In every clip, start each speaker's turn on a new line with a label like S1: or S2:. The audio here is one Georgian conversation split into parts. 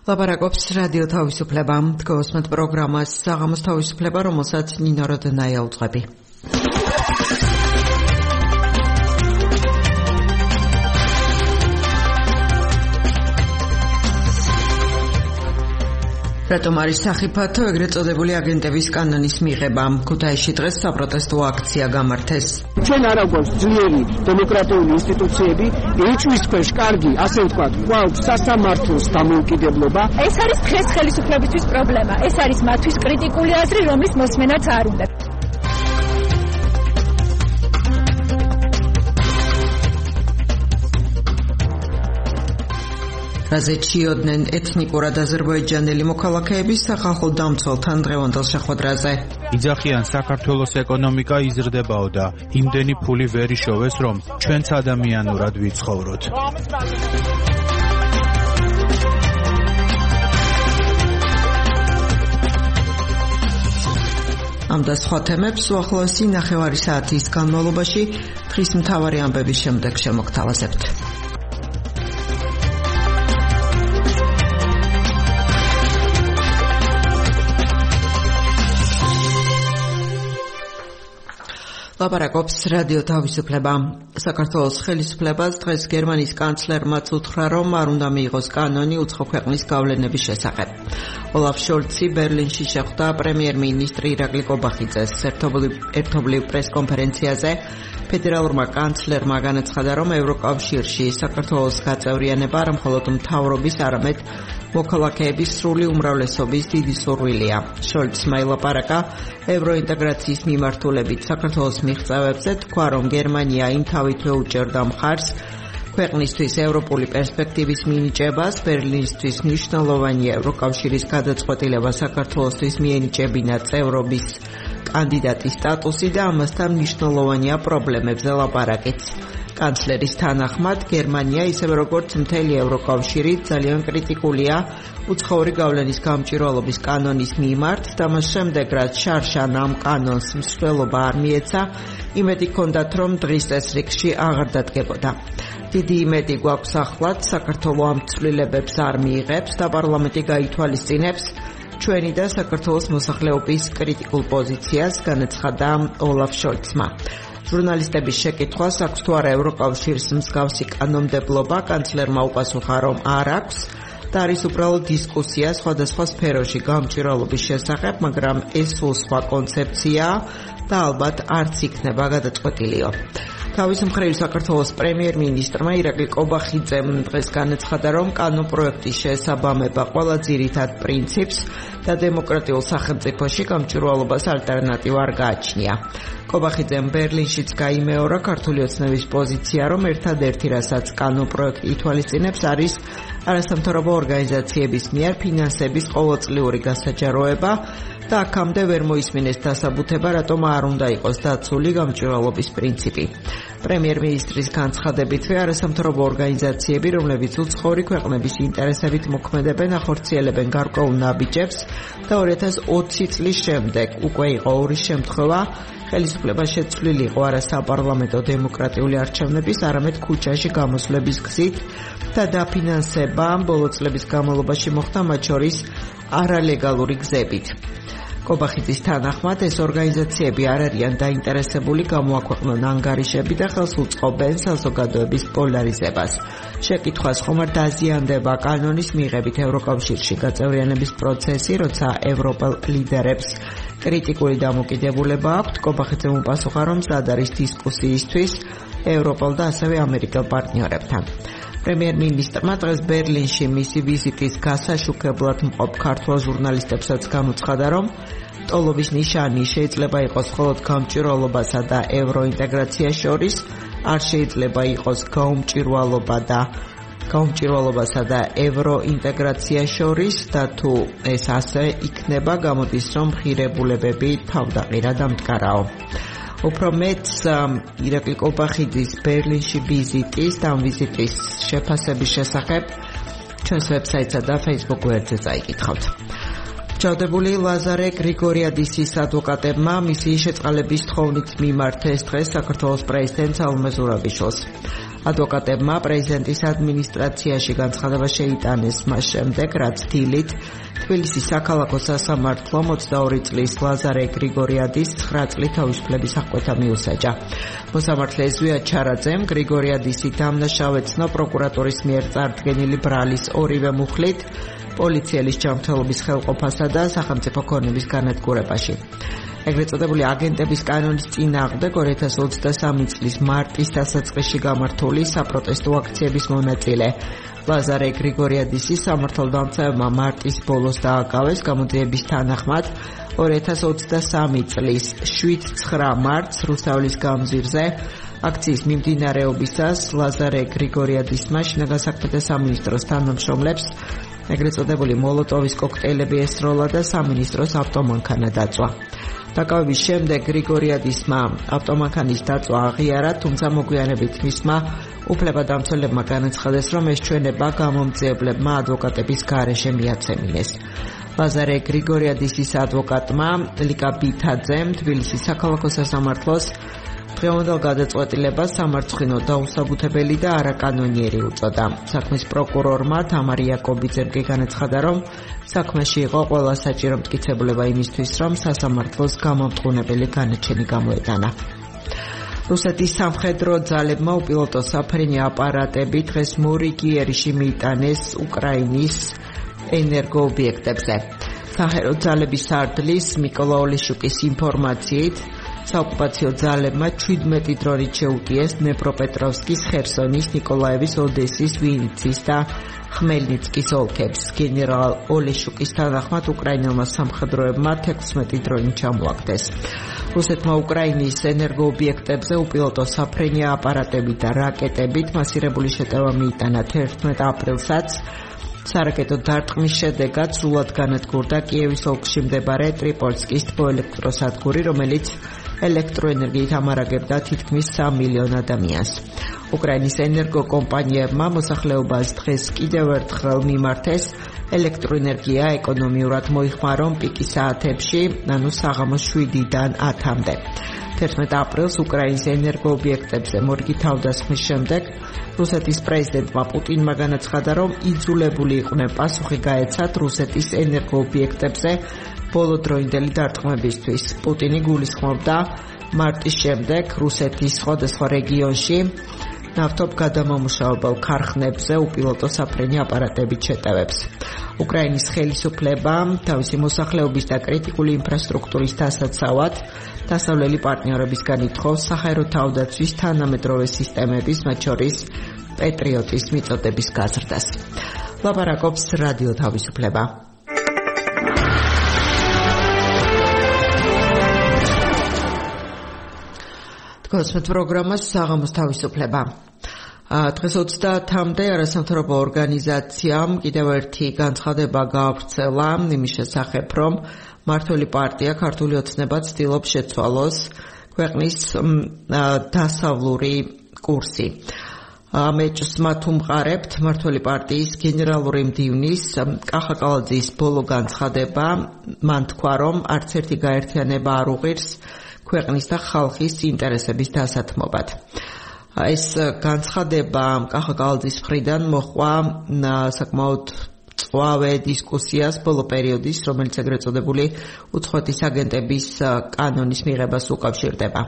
S1: ლაპარაკობს რადიო თავისუფლება. გოსმეთ პროგრამას საღამოს თავისუფლება, რომელსაც ნინო როდნაია უძღვები. რატომ არის სახიფათო ეგრეთ წოდებული აგენტების კანონის მიღება? ქუთაისში დღეს საპროტესტო აქცია გამართეს.
S2: ჩვენ არ აგვაქვს ძლიერი დემოკრატიული ინსტიტუციები, ეჭვის ქვეშ კარგი, ასე ვთქვათ, გვაქვს სასამართლოს დამოუკიდებლობა.
S3: ეს არის დღეს ხელისუფლებისთვის პრობლემა. ეს არის მათთვის კრიტიკული აზრი, რომლის მოსმენაც არ უნდა.
S1: რაზეჩიოდნენ ეთნიკურად აზერბაიჯანელი მოქალაქეების სახალხო დამცველთან დღევანდელ შეხვედრაზე.
S4: იძახიან საქართველოს ეკონომიკა იზრდებაო და იმდენი ფული ვერ იშოვეს, რომ ჩვენც ადამიანურად ვიცხოვროთ.
S1: ამ და სხვა თემებს უახლოესი ნახევარი საათის განმავლობაში დღის მთავარი ამბების შემდეგ შემოგთავაზებთ. ლაპარაკობს რადიო თავისუფლება. საქართველოს ხელისუფლებას დღეს გერმანიის კანცლერმაც უთხრა, რომ არ უნდა მიიღოს კანონი უცხო ქვეყნის გავლენების შესახებ. ოლაფ შოლცი ბერლინში შეხვდა პრემიერ-მინისტრი ირაკლი კობახიძეს. ერთობლივ პრესკონფერენციაზე ფედერალურმა კანცლერმა განაცხადა, რომ ევროკავშირში საქართველოს გაწევრიანება არ მხოლოდ მთავრობის, არამედ მოქალაქეების სრული უმრავლესობის დიდი სურვილია. შოლცმა ელაპარაკა ევროინტეგრაციის მიმართულებით საქართველოს მიღწევებზე, თქვა, რომ გერმანია იმთავითვე უჭერდა მხარს ქვეყნისთვის ევროპული პერსპექტივის მინიჭებას, ბერლინისთვის მნიშვნელოვანია ევროკავშირის გადაწყვეტილება საქართველოსთვის მიენიჭებინა წევრობის კანდიდატის სტატუსი და ამასთან მნიშვნელოვანია პრობლემებზე ლაპარაკიც. კანცლერის თანახმად, გერმანია, ისევე როგორც მთელი ევროკავშირი, ძალიან კრიტიკულია უცხოური გავლენის გამჭვირვალობის კანონის მიმართ და მას შემდეგ, რაც შარშან ამ კანონს მსვლელობა არ მიეცა, იმედი ჰქონდათ, რომ დღის წესრიგში აღარ დადგებოდა. დიდი იმედი გვაქვს ახლად, საქართველო ამ ცვლილებებს არ მიიღებს და პარლამენტი გაითვალისწინებს ჩვენი და საქართველოს მოსახლეობის კრიტიკულ პოზიციას, განაცხადა ოლაფ შოლცმა. ჟურნალისტების შეკითხვას აქვს თუ არა ევროკავშირის მსგავსი კანონმდებლობა, კანცლერმა უპასუხა, რომ არ აქვს და არის უბრალოდ დისკუსია სხვადასხვა სფეროში გამჭვირვალობის შესახებ, მაგრამ ეს სულ სხვა კონცეფციაა და ალბათ არც იქნება გადაწყვეტილიო. თავის მხრივ საქართველოს პრემიერ-მინისტრმა ირაკლი კობახიძემ დღეს განაცხადა, რომ კანონპროექტის შესაბამება ყველა ძირითად პრინციპს და დემოკრატიულ სახელმწიფოში გამჭვირვალობას ალტერნატივა არ გააჩნია. კობახიძემ ბერლინშიც გაიმეორა ქართული ოცნების პოზიცია, რომ ერთადერთი რასაც კანონპროექტი ითვალისწინებს, არის არასამთავრობო ორგანიზაციების მიერ ფინანსების ყოველწლიური გასაჯაროება და აქამდე ვერ მოისმინეს დასაბუთება, რატომ არ უნდა იყოს დაცული გამჭვირვალობის პრინციპი. პრემიერ-მინისტრის განცხადებითვე არასამთავრობო ორგანიზაციები, რომლებიც უცხოური ქვეყნების ინტერესებით მოქმედებენ, ახორციელებენ გარკვეულ ნაბიჯებს და 2020 წლის შემდეგ უკვე იყო ორი შემთხვევა, ხელისუფლება შეცვლილი იყო არა საპარლამენტო დემოკრატიული არჩევნების, არამედ ქუჩაში გამოსვლების გზით და დაფინანსება ბოლო წლების განმავლობაში მოხდა, მათ შორის არალეგალური გზებით. კობახიძის თანახმად, ეს ორგანიზაციები არ არიან დაინტერესებული გამოაქვეყნონ ანგარიშები და ხელს უწყობენ საზოგადოების პოლარიზებას. შეკითხვას ხომ არ დაზიანდება კანონის მიღებით ევროკავშირში გაწევრიანების პროცესი, როცა ევროპელ ლიდერებს კრიტიკული დამოკიდებულება აქვთ, კობახიძემ უპასუხა, რომ მზად არის დისკუსიისთვის ევროპელ და ასევე ამერიკელ პარტნიორებთან. პრემიერ-მინისტრმა დღეს ბერლინში მისი ვიზიტის გასაშუქებლად მყოფ ქართველ ჟურნალისტებსაც განუცხადა, რომ ტოლობის ნიშანი შეიძლება იყოს მხოლოდ გამჭვირვალობასა და ევროინტეგრაციას შორის, არ შეიძლება იყოს გაუმჭვირვალობასა და ევროინტეგრაციას შორის და თუ ეს ასე იქნება, გამოდის, რომ ღირებულებები თავდაყირად ამტკარაო. უფრო მეტ ირაკლი კობახიძის ბერლინში ვიზიტის და ამ ვიზიტის შეფასების შესახებ ჩვენს ვებსაიტსა და Facebook გვერდზე წაიკითხავთ. ჩავდებული ლაზარე გრიგორიადისის ადვოკატებმა მისი შეწყალების თხოვნით მიმართეს დღეს საქართველოს პრეზიდენტ საულმე ზურაბიშვილს. ადვოკატებმა პრეზიდენტის ადმინისტრაციაში განცხადება შეიტანეს მას შემდეგ, რაც დილით თბილისის საქალაქო სასამართლო 22 წლის ლაზარე გრიგორიადის 9 წლის თავისუფლების აღკვეთა მიუსაჯა. მოსამართლე ზვია ჩარაძემ გრიგორიადისი დამნაშავეცნო პროკურატურის მიერ წარდგენილი ბრალის ორივე მუხლით პოლიციელის ჯანმრთელობის ხელყოფასა და სახელმწიფო ქონების განადგურებაში. ეგრეთ წოდებული აგენტების კანონის წინააღმდეგ 2023 წლის მარტის დასაწყისში გამართული საპროტესტო აქციების მონაწილე ლაზარე გრიგორიადისი სამართალდამცავებმა მარტის ბოლოს დააკავეს. გამოძიების თანახმად 2023 წლის 7-9 მარტს რუსთაველის გამზირზე აქციის მიმდინარეობისას ლაზარე გრიგორიადისმა შინაგან საქმეთა სამინისტროს თანამშრომლებს ეგრეთ წოდებული მოლოტოვის კოქტეილები ესროლა და სამინისტროს ავტომანქანა დაწვა. დაკავების შემდეგ გრიგორიადისმა ავტომანქანის დაწვა აღიარა, თუმცა მოგვიანებით მისმა უფლებადამცველებმა განაცხადეს, რომ ეს ჩვენება გამომძიებლებმა ადვოკატების გარეშე მიაცემინეს. ლაზარე გრიგორიადისის ადვოკატმა ლიკა ბითაძემ თბილისის საქალაქო სასამართლოს დღევანდელ გადაწყვეტილებას სამარცხინო დაუსაბუთებელი და არაკანონიერი უწოდა. საქმის პროკურორმა თამარ იაკობიძემ კი განაცხადა, რომ საქმეში იყო ყველა საჭირო მტკიცებულება იმისთვის, რომ სასამართლოს გამომტყუნებელი განაჩენი გამოეტანა. რუსეთის სამხედრო ძალებმა უპილოტო საფრენი აპარატები დღეს მორიგიერში მიიტანეს უკრაინის ენერგოობიექტებზე. საჰერო ძალების სარდლის მიკოლა ოლეშუკის ინფორმაციით საოკუპაციო ძალებმა 17 დრონით შეუტიეს დნეპროპეტროვსკის, ხერსონის, ნიკოლაევის, ოდესის, ვინიცის და ხმელნიცკის ოლქებს. გენერალ ოლეშუკის თანახმად უკრაინელმა სამხედროებმა 16 დრონით ჩამოაგდეს. რუსეთმა უკრაინის ენერგოობიექტებზე უპილოტო საფრენი აპარატებით და რაკეტებით მასირებული შეტევა მიიტანა 11 აპრილსაც. სარაკეტო დარტყმის შედეგად სრულად განადგურდა კიევის ოლქში მდებარე ტრიპოლსკის თბოელექტროსადგური, რომელიც ელექტროენერგიით ამარაგებდა თითქმის 3 მილიონ ადამიანს. უკრაინის ენერგოკომპანიებმა მოსახლეობას დღეს კიდევ ერთხელ მიმართეს ელექტროენერგია ეკონომიურად მოიხმარონ პიკის საათებში, ანუ საღამოს 7-დან 10-მდე. 11 აპრილს უკრაინის ენერგოობიექტებზე მორიგი თავდასხმის შემდეგ რუსეთის პრეზიდენტმა პუტინმა განაცხადა, რომ იძულებული იყვნენ პასუხი გაეცათ რუსეთის ენერგოობიექტებზე ბოლოდროინდელი დარტყმებისთვის. პუტინი გულისხმობდა მარტის შემდეგ რუსეთის სხვადასხვა რეგიონში ნავთობ გადამამუშავებელ ქარხნებზე უპილოტო საფრენი აპარატებით შეტევებს. უკრაინის ხელისუფლება თავისი მოსახლეობის და კრიტიკული ინფრასტრუქტურის დასაცავად დასავლელი პარტნიორებისგან ითხოვს საჰაერო თავდაცვის თანამედროვე სისტემების, მათ შორის პეტრიოტის მიწოდების გაზრდას. ლაპარაკობს რადიო თავისუფლება. გასმეთ პროგრამას საღამოს თავისუფლება. დღეს 30-მდე არასამთავრობო ორგანიზაციამ კიდევ ერთი განცხადება გაავრცელა იმის შესახებ, რომ მართველი პარტია ქართული ოცნება ცდილობს შეცვალოს ქვეყნის დასავლური კურსი. ამეჭს მათ უმყარებთ მართველი პარტიის გენერალური მდივნის კახა კალაძის ბოლო განცხადება. მან თქვა, რომ არც ერთი გაერთიანება არ უღირს ქვეყნის და ხალხის ინტერესების დასათმობად. ეს განცხადება კახა კალაძის მხრიდან მოჰყვა საკმაოდ წვავე დისკუსიას ბოლო პერიოდის, რომელიც ეგრეთ წოდებული უცხოეთის აგენტების კანონის მიღებას უკავშირდება.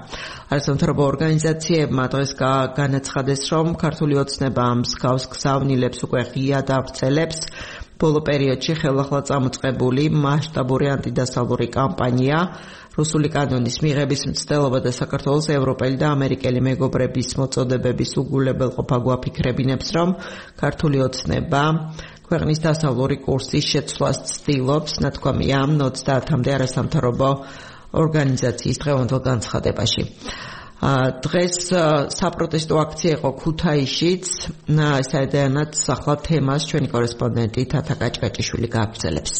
S1: არასამთავრობო ორგანიზაციებმა დღეს განაცხადეს, რომ ქართული ოცნება მსგავს გზავნილებს უკვე ღიად ავრცელებს. ბოლო პერიოდში ხელახლა წამოწყებული მასშტაბური ანტიდასავლური კამპანია რუსული კანონის მიღების მცდელობა და საქართველოს ევროპელი და ამერიკელი მეგობრების მოწოდებების უგულებელყოფა გვაფიქრებინებს, რომ ქართული ოცნება ქვეყნის დასავლური კურსის შეცვლას ცდილობს, ნათქვამია 30-მდე არასამთავრობო ორგანიზაციის დღევანდელ განცხადებაში. დღეს საპროტესტო აქცია იყო ქუთაისშიც, საერთოდ ახლა თემას ჩვენი კორესპონდენტი თათა კაჭკაჭიშვილი გააგრძელებს.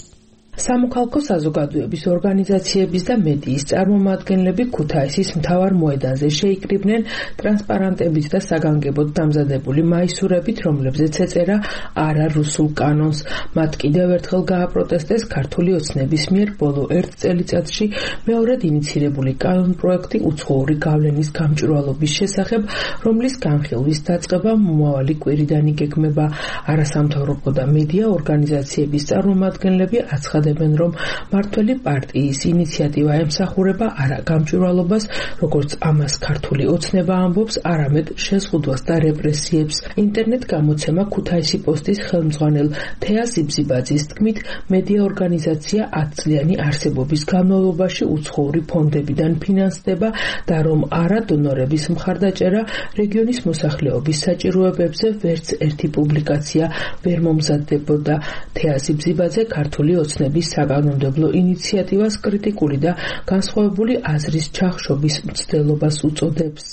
S5: სამოქალაქო საზოგადოების ორგანიზაციების და მედიის წარმომადგენლები ქუთაისის მთავარ მოედანზე შეიკრიბნენ ტრანსპარანტებით და საგანგებოდ დამზადებული მაისურებით, რომლებზეც ეწერა არა რუსულ კანონს. მათ კიდევ ერთხელ გააპროტესტეს ქართული ოცნების მიერ ბოლო 1 წელიწადში მეორედ ინიცირებული კანონპროექტი უცხოური გავლენის გამჭვირვალობის შესახებ, რომლის განხილვის დაწყება მომავალი კვირიდან იგეგმება. არასამთავრობო და მედია ორგანიზაციების წარმომადგენლები აცხადებენ, რომ მართველი პარტიის ინიციატივა ემსახურება არა გამჭვირვალობას, როგორც ამას ქართული ოცნება ამბობს, არამედ შეზღუდვას და რეპრესიებს. ინტერნეტ გამოცემა ქუთაისი პოსტის ხელმძღვანელ თეა ზიბზიბაძის თქმით, მედია ორგანიზაცია 10 წლიანი არსებობის განმავლობაში უცხოური ფონდებიდან ფინანსდება და რომ არა დონორების მხარდაჭერა რეგიონის მოსახლეობის საჭიროებებზე ვერც ერთი პუბლიკაცია ვერ მომზადდებოდა. თეა ზიბზიბაძე ქართული ოცნების საკანონმდებლო ინიციატივას კრიტიკული და განსხვავებული აზრის ჩახშობის მცდელობას უწოდებს.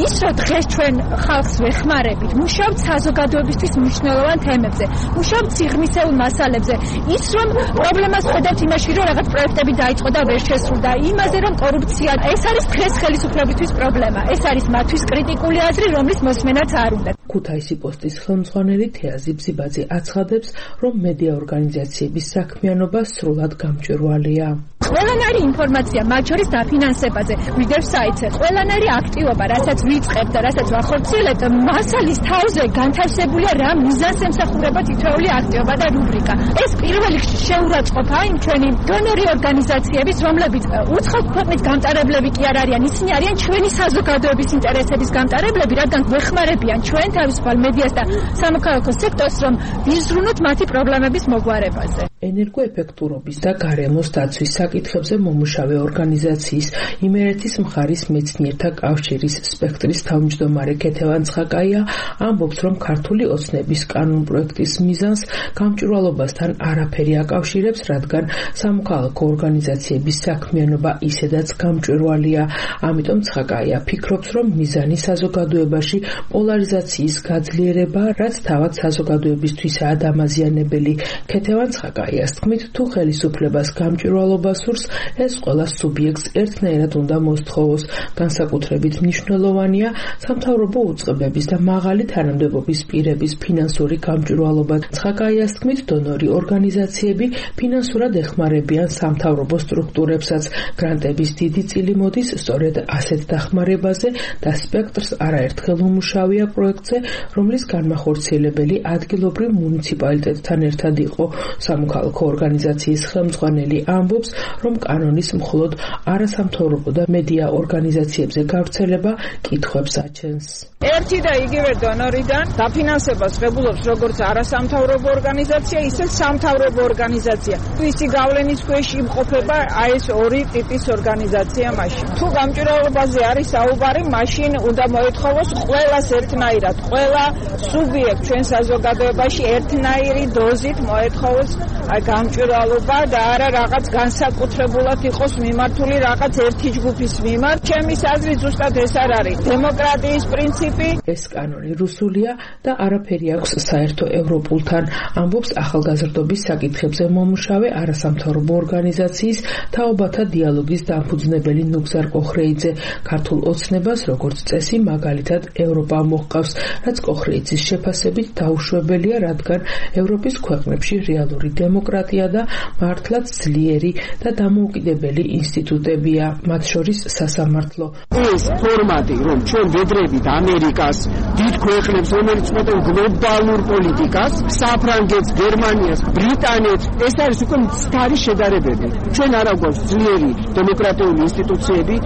S3: ის რომ დღეს ჩვენ ხალხს ვეხმარებით, მუშაობთ საზოგადოებისთვის მნიშვნელოვან თემებზე, მუშაობთ სიღრმისეულ მასალებზე, ის რომ პრობლემას ხედავთ იმაში, რომ რაღაც პროექტები დაიწყო და ვერ შესრულდა, იმაზე რომ კორუფცია, ეს არის დღეს ხელისუფლებისთვის პრობლემა, ეს არის მათთვის კრიტიკული აზრი, რომლის მოსმენაც არ უნდა.
S5: ქუთაისი პოსტის ხელმძღვანელი თეა ზიბზიბაძე აცხადებს, რომ მედია ორგანიზაციების საქმიანობა სრულად გამჭვირვალეა.
S3: ყველანაირი ინფორმაცია, მათ შორის დაფინანსებაზე, გვიდევ საიტზე, ყველანაირი აქტივობა, რასაც ვიწყებთ და რასაც ვახორციელებთ, მასალის თავზე განთავსებულია რა მიზანს ემსახურება თითოეული აქტივობა და რუბრიკა. ეს პირველ რიგში შეურაცხყოფა იმ ჩვენი დონორი ორგანიზაციების, რომლებიც უცხოური ქვეყნის გამტარებლები კი არ არიან, ისინი არიან ჩვენი საზოგადოების ინტერესების გამტარებლები, რადგან გვეხმარებიან ჩვენ თავისუფალ მედიას და სამოქალაქო სექტორს, რომ ვიზრუნოთ მათი პრობლემების მოგვარებაზე.
S5: ენერგოეფექტურობის და გარემოს დაცვის საკითხებზე მომუშავე ორგანიზაციის იმერეთის მხარის მეცნიერთა კავშირის სპექტრის თავმჯდომარე ქეთევან ცხაკაია ამბობს, რომ ქართული ოცნების კანონპროექტის მიზანს გამჭვირვალობასთან არაფერი აკავშირებს, რადგან სამოქალაქო ორგანიზაციების საქმიანობა ისედაც გამჭვირვალეა. ამიტომ ცხაკაია ფიქრობს, რომ მიზანი საზოგადოებაში პოლარიზაციის გაძლიერება, რაც თავად საზოგადოებისთვისაა დამაზიანებელი. ქეთევან ცხაკაიას თქმით, თუ ხელისუფლებას გამჭვირვალობა სურს, ეს ყველა სუბიექტს ერთნაირად უნდა მოსთხოვოს. განსაკუთრებით მნიშვნელოვანია სამთავრობო უწყებების და მაღალი თანამდებობის პირების ფინანსური გამჭვირვალობა. ცხაკაიას თქმით, დონორი ორგანიზაციები ფინანსურად ეხმარებიან სამთავრობო სტრუქტურებსაც. გრანტების დიდი წილი მოდის სწორედ ასეთ დახმარებაზე და სპექტრს არაერთხელ უმუშავია პროექტზე, რომლის განმახორციელებელი ადგილობრივ მუნიციპალიტეტთან ერთად იყო. სამოქალაქო ორგანიზაციის ხელმძღვანელი ამბობს, რომ კანონის მხოლოდ არასამთავრობო და მედია ორგანიზაციებზე გავრცელება კითხვებს აჩენს.
S6: ერთი და იგივე დონორიდან დაფინანსებას ღებულობს როგორც არასამთავრობო ორგანიზაცია, ისე სამთავრობო ორგანიზაცია. ისი გავლენის ქვეშ იმყოფება აი ეს ორი ტიპის ორგანიზაცია მაშინ. თუ გამჭვირვალობაზე არის საუბარი, მაშინ უნდა მოეთხოვოს ყველას ერთნაირად, ყველა სუბიექტ ჩვენ საზოგადოებაში ერთნაირი დოზით მოეთხოვოს გამჭვირვალობა და არა რაღაც განსაკუთრებულად იყოს მიმართული რაღაც ერთი ჯგუფის მიმართ. ჩემის აზრით ზუსტად ეს არ არის დემოკრატიის პრინციპი.
S5: ეს კანონი რუსულია და არაფერი აქვს საერთო ევროპულთან, ამბობს ახალგაზრდობის საკითხებზე მომუშავე არასამთავრობო ორგანიზაციის თაობათა დიალოგის დამფუძნებელი ნუგზარ კოხრეიძე. ქართულ ოცნებას როგორც წესი მაგალითად ევროპა მოჰყავს, რაც კოხრეიძის შეფასებით დაუშვებელია, რადგან ევროპის ქვეყნებში რეალური დემოკრატია და მართლაც ძლიერი და დამოუკიდებელი ინსტიტუტებია, მათ შორის სასამართლო.
S2: ეს ფორმატი, რომ ჩვენ ვედრებით ამერიკას, დიდ ქვეყნებს, რომელიც მოწყვეტენ გლობალურ პოლიტიკას, საფრანგეთს, გერმანიას, ბრიტანეთს, ეს არის უკვე მცდარი შედარებები. ჩვენ არ აგვაქვს ძლიერი დემოკრატიული ინსტიტუციები,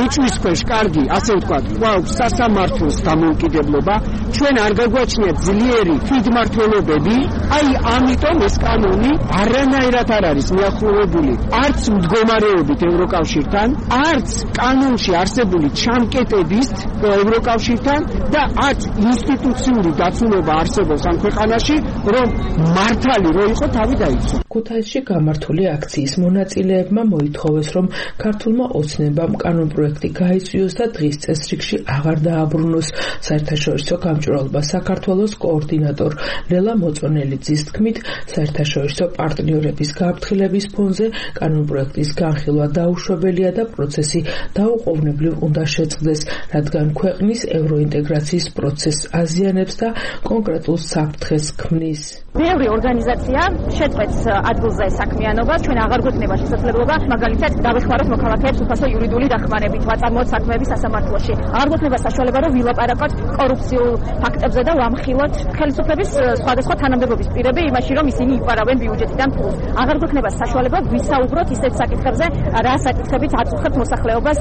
S2: ეჭვის ქვეშ კარგი, ასე ვთქვათ, გვაქვს სასამართლოს დამოუკიდებლობა, ჩვენ არ გაგვაჩნია ძლიერი ფიდმართველობები, აი ამიტომ ეს კანონი არანაირად არ არის მიახლოვებული არც მდგომარეობით ევროკავშირთან, არც კანონში არსებული ჩამკეტების ევროკავშირთან და არც ინსტიტუციური დაცულობა არსებობს ამ ქვეყანაში, რომ მართალი რო იყო თავი დაიცვა.
S5: ქუთაისში გამართული აქციის მონაწილეებმა მოითხოვეს, რომ ქართულმა ოცნებამ კანონპროექტი გაიწვიოს და დღის წესრიგში აღარ დააბრუნოს. საერთაშორისო გამჭვირვალობა საქართველოს კოორდინატორ ლელა მოწონელიძის თქმით, საერთაშორისო პარტნიორების გაფრთხილების ფონზე კანონპროექტის განხილვა დაუშვებელია და პროცესი დაუყოვნებლივ უნდა შეწყდეს, რადგან ქვეყნის ევროინტეგრაციის პროცესს აზიანებს და კონკრეტულ საფრთხეს ქმნის.
S7: Ბევრი ორგანიზაცია შეწყვეტს ადგილზე საქმიანობას, ჩვენ აღარ გვექნება შესაძლებლობა მაგალითად დავეხმაროთ მოქალაქეებს უფასო იურიდიული დახმარებით, ვაწარმოოთ საქმეები სასამართლოში. აღარ გვექნება საშუალება რომ ვილაპარაკოთ კორუფციულ ფაქტებზე და ვამხილოთ ხელისუფლების სხვადასხვა თანამდებობის პირები იმაში, რომ ისინი იპარავენ ბიუჯეტიდან ფულს. აღარ გვექნება საშუალება ვისაუბროთ ისეთ საკითხებზე, რა საკითხებით აწუხებთ მოსახლეობას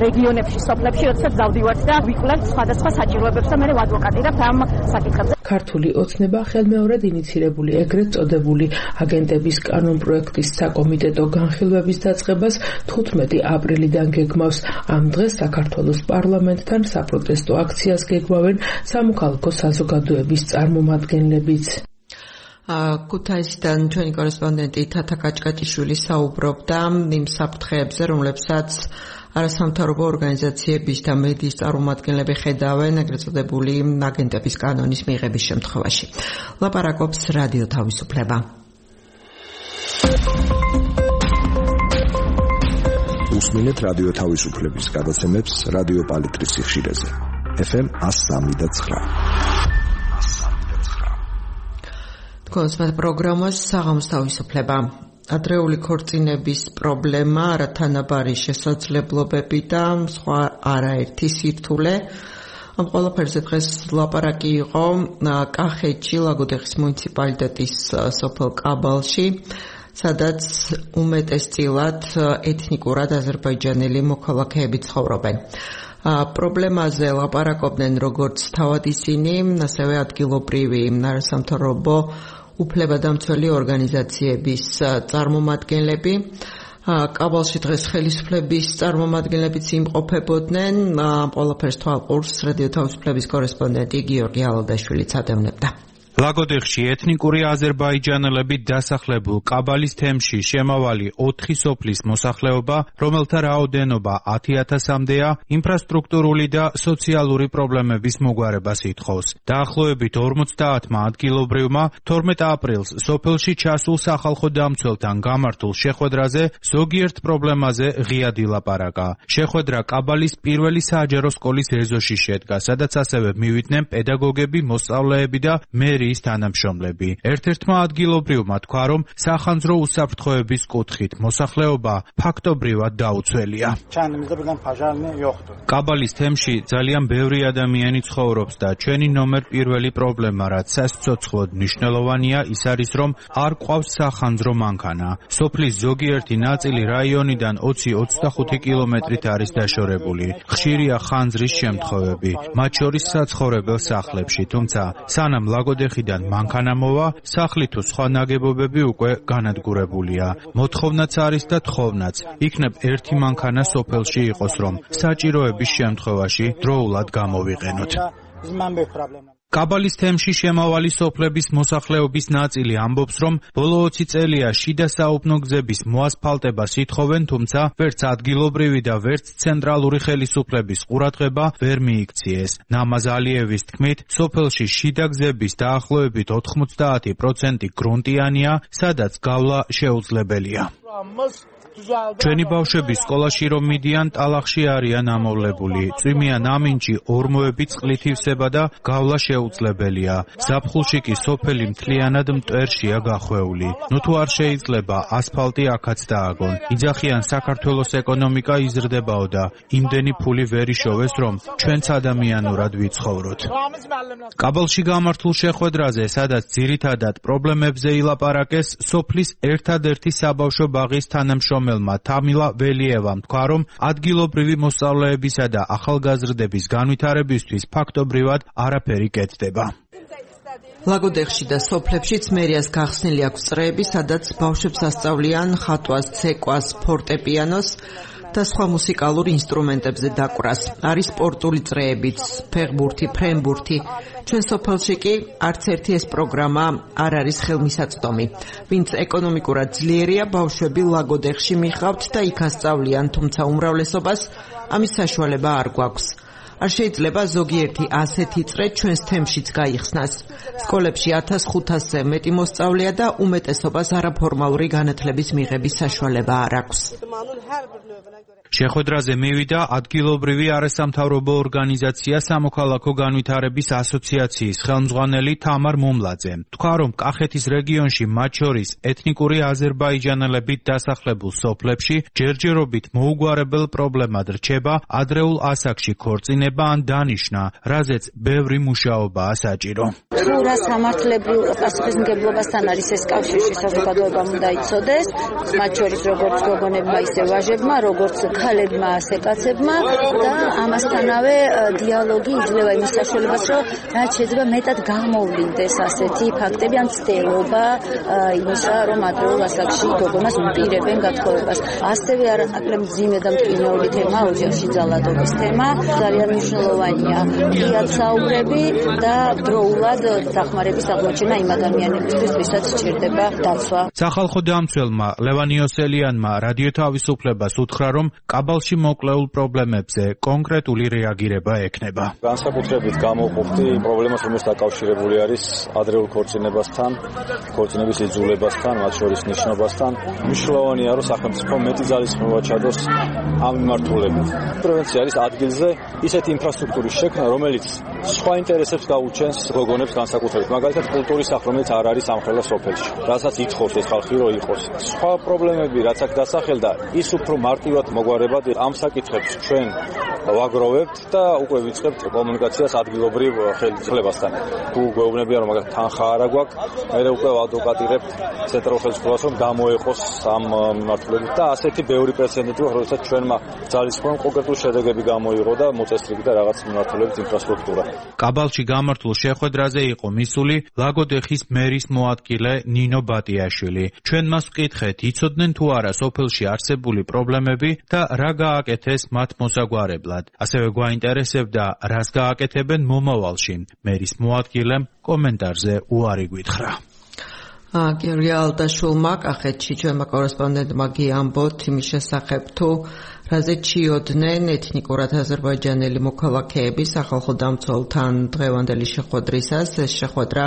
S7: რეგიონებში, სოფლებში, როდესაც დავდივართ და ვიკვლევთ სხვადასხვა საჭიროებებს და მე ვადვოკატირებთ ამ საკითხებზე.
S5: ქართული ოცნება ხელმეორედ ინიცირებული ეგრეთ წოდებული აგენტების კანონპროექტის საკომიტეტო განხილვების დაწყებას 15 აპრილიდან გეგმავს. ამ დღეს საქართველოს პარლამენტთან საპროტესტო აქციას გეგმავენ სამოქალაქო საზოგადოების წარმომადგენლებიც.
S1: ქუთაისიდან ჩვენი კორესპონდენტი თათა კაჭკაჭიშვილი საუბრობდა იმ საფრთხეებზე, რომლებსაც არასამთავრობო ორგანიზაციების და მედიის წარმომადგენლები ხედავენ ეგრეთ წოდებული აგენტების კანონის მიღების შემთხვევაში. ლაპარაკობს რადიო თავისუფლება.
S8: უსმინეთ რადიო თავისუფლების გადაცემებს რადიო პალიტრის სიხშირეზე. FM 103.9.
S1: თქვენს პროგრამას საღამოს თავისუფლება. ადრეული ქორწინების პრობლემა, არათანაბარი შესაძლებლობები და სხვა არაერთი სირთულე. ამ ყველაფერზე დღეს ლაპარაკი იყო კახეთში, ლაგოდეხის მუნიციპალიტეტის სოფელ კაბალში, სადაც უმეტესწილად ეთნიკურად აზერბაიჯანელი მოქალაქეები ცხოვრობენ. პრობლემაზე ლაპარაკობდნენ როგორც თავად ისინი, ასევე ადგილობრივი არასამთავრობო უფლებადამცველი ორგანიზაციების წარმომადგენლები. კაბალში დღეს ხელისუფლების წარმომადგენლებიც იმყოფებოდნენ. ყველაფერს თვალყურს რადიო თავისუფლების კორესპონდენტი გიორგი ალადაშვილიც ადევნებდა.
S4: ლაგოდეხში ეთნიკური აზერბაიჯანელები დასახლებულ კაბალის თემში შემავალი 4 სოფლის მოსახლეობა, რომელთა რაოდენობა 10,000-მდეა, ინფრასტრუქტურული და სოციალური პრობლემების მოგვარებას ითხოვს. დაახლოებით 50 ადგილობრივმა 12 აპრილს სოფელში ჩასულ სახალხო დამცველთან გამართულ შეხვედრაზე ზოგიერთ პრობლემაზე ღიად ილაპარაკა. შეხვედრა კაბალის პირველი საჯარო სკოლის ეზოში შედგა, სადაც ასევე მივიდნენ პედაგოგები, მოსწავლეები და მერი თანამშრომლები. ერთ-ერთმა ადგილობრივმა თქვა, რომ სახანძრო უსაფრთხოების კუთხით მოსახლეობა ფაქტობრივად დაუცველია. კაბალის თემში ძალიან ბევრი ადამიანი ცხოვრობს და ჩვენი ნომერ პირველი პრობლემა, რაც სასიცოცხლოდ მნიშვნელოვანია, ის არის, რომ არ ყავს სახანძრო მანქანა. სოფლის ზოგიერთი ნაწილი რაიონიდან 20-25 კილომეტრით არის დაშორებული. ხშირია ხანძრის შემთხვევები, მათ შორის საცხოვრებელ სახლებში, თუმცა სანამ ლაგოდეხიდან მანქანა მოვა, სახლი თუ სხვა ნაგებობები უკვე განადგურებულია. მოთხოვნაც არის და თხოვნაც. იქნებ ერთი მანქანა სოფელში იყოს, რომ საჭიროების შემთხვევაში დროულად გამოვიყენოთ. კაბალის თემში შემავალი სოფლების მოსახლეობის ნაწილი ამბობს, რომ ბოლო 20 წელია შიდა საუბნო გზების მოასფალტებას ითხოვენ, თუმცა ვერც ადგილობრივი და ვერც ცენტრალური ხელისუფლების ყურადღება ვერ მიიქციეს. ნამაზ ალიევის თქმით, სოფელში შიდა გზების დაახლოებით 90% გრუნტიანია, სადაც გავლა შეუძლებელია. ჩვენი ბავშვები სკოლაში რომ მიდიან, ტალახში არიან ამოვლებული. წვიმიან ამინჯი, ორმოები წყლით ივსება და გავლა შეუძლებელია. ზაფხულში კი სოფელი მთლიანად მტვერშია გახვეული. ნუ თუ არ შეიძლება, ასფალტი აქაც დააგონ. იძახიან საქართველოს ეკონომიკა იზრდებაო და იმდენი ფული ვერ იშოვეს, რომ ჩვენც ადამიანურად ვიცხოვროთ. კაბალში გამართულ შეხვედრაზე, სადაც ძირითადად პრობლემებზე ილაპარაკეს, სოფლის ერთადერთი საბავშვო ბაღის თანამშრომელი თამილა ველიევამ თქვა, რომ ადგილობრივი მოსწავლეებისა და ახალგაზრდების განვითარებისთვის ფაქტობრივად არაფერი კეთდება.
S1: ლაგოდეხში და სოფლებშიც მერიას გახსნილი აქვს წრეები, სადაც ბავშვებს ასწავლიან ხატვას, ცეკვას, ფორტეპიანოს და სხვა მუსიკალურ ინსტრუმენტებზე დაკვრას. არის სპორტული წრეებიც, ფეხბურთი, ფრენბურთი. ჩვენ სოფელში კი არც ერთი ეს პროგრამა არ არის ხელმისაწვდომი. ვინც ეკონომიკურად ძლიერია, ბავშვები ლაგოდეხში მიხავთ და იქ ასწავლიან, თუმცა უმრავლესობას ამის საშუალება არ გვაქვს. არ შეიძლება ზოგიერთი ასეთი წრე ჩვენს თემშიც გაიხსნას. სკოლებში 1500-ზე მეტი მოსწავლეა და უმეტესობას არაფორმალური განათლების მიღების საშუალება არ აქვს.
S4: შეხვედრაზე მივიდა ადგილობრივი არასამთავრობო ორგანიზაცია სამოქალაქო განვითარების ასოციაციის ხელმძღვანელი თამარ მუმლაძე. თქვა, რომ კახეთის რეგიონში მათ შორის ეთნიკური აზერბაიჯანელებით დასახლებულ სოფლებში ჯერჯერობით მოუგვარებელ პრობლემად რჩება ადრეულ ასაკში ქორწინება ან დანიშნა, რაზეც ბევრი მუშაობაა საჭირო.
S9: თუ რა სამართლებრივ პასუხისმგებლობასთან არის ეს კავშირში, საზოგადოებამ უნდა იცოდეს, მათ შორის როგორც გოგონებმა, ისე ვაჟებმა, როგორც ქალებმა, ასე კაცებმა და ამასთანავე დიალოგი იძლევა იმის საშუალებას, რომ რაც შეიძლება მეტად გამოვლინდეს ასეთი ფაქტები ან ცდელობა იმისა, რომ ადრეულ ასაკში გოგონას უპირებენ გათხოვებას. ასევე არანაკლებ მძიმე და მტკივნეული თემა ოჯახში ძალადობის თემა. ძალიან მნიშვნელოვანია იაცაურები და დროულად დახმარების აღმოჩენა იმ ადამიანებისთვის, ვისაც სჭირდება დაცვა.
S4: სახალხო დამცველმა ლევან იოსელიანმა რადიო თავისუფლებას უთხრა, რომ კაბალში მოკლეულ პრობლემებზე კონკრეტული რეაგირება ექნება.
S10: განსაკუთრებით გამოყოფდი პრობლემას, რომელიც დაკავშირებული არის ადრეულ ქორწინებასთან, ქორწინების იძულებასთან, მათ შორის ნიშნობასთან. მნიშვნელოვანია, რომ სახელმწიფო მეტი ძალისხმევა ჩადოს ამ მიმართულებით. პრევენცია არის ადგილზე ისეთი ინფრასტრუქტურის შექმნა, რომელიც სხვა ინტერესებს გაუჩენს გოგონებს განსაკუთრებით. მაგალითად, კულტურის სახლ, რომელიც არ არის ამხელა სოფელში, რასაც ითხოვს ეს ხალხი, რომ იყოს. სხვა პრობლემები, რაც აქ დასახელდა, ის უფრო მარტივად მოგვარებად ამ საკითხებს ჩვენ ვაგროვებთ და უკვე ვიწყებთ კომუნიკაციას ადგილობრივ ხელისუფლებასთან. თუ გვეუბნებიან, რომ მაგათ თანხა არ აგვაქვს, მე უკვე ვადვოკატირებთ ცენტრალურ ხელისუფლებას, რომ გამოეყოს ამ მიმართულებით და ასეთი ბევრი პრეცედენტი აქვს, როდესაც ჩვენმა ძალისხმევამ კონკრეტული შედეგები გამოიღო და მოწესრიგდა და რაღაც მიმართულებით ინფრასტრუქტურა.
S4: კაბალში გამართულ შეხვედრაზე იყო მისული ლაგოდეხის მერის მოადგილე ნინო ბატიაშვილი. ჩვენ მას ვკითხეთ, იცოდნენ თუ არა სოფელში არსებული პრობლემები და რა გააკეთეს მათ მოსაგვარებლად. ასევე გვაინტერესებდა, რას გააკეთებენ მომავალში. მერის მოადგილემ კომენტარზე უარი გითხრა.
S1: გიორგი ალდაშულმა კახეთში ჩვენმა კორესპონდენტმა გიამბოთ იმის შესახებ, თუ რაზე ჩიოდნენ ეთნიკურად აზერბაიჯანელი მოქალაქეები სახალხო დამცველთან დღევანდელი შეხვედრისას. ეს შეხვედრა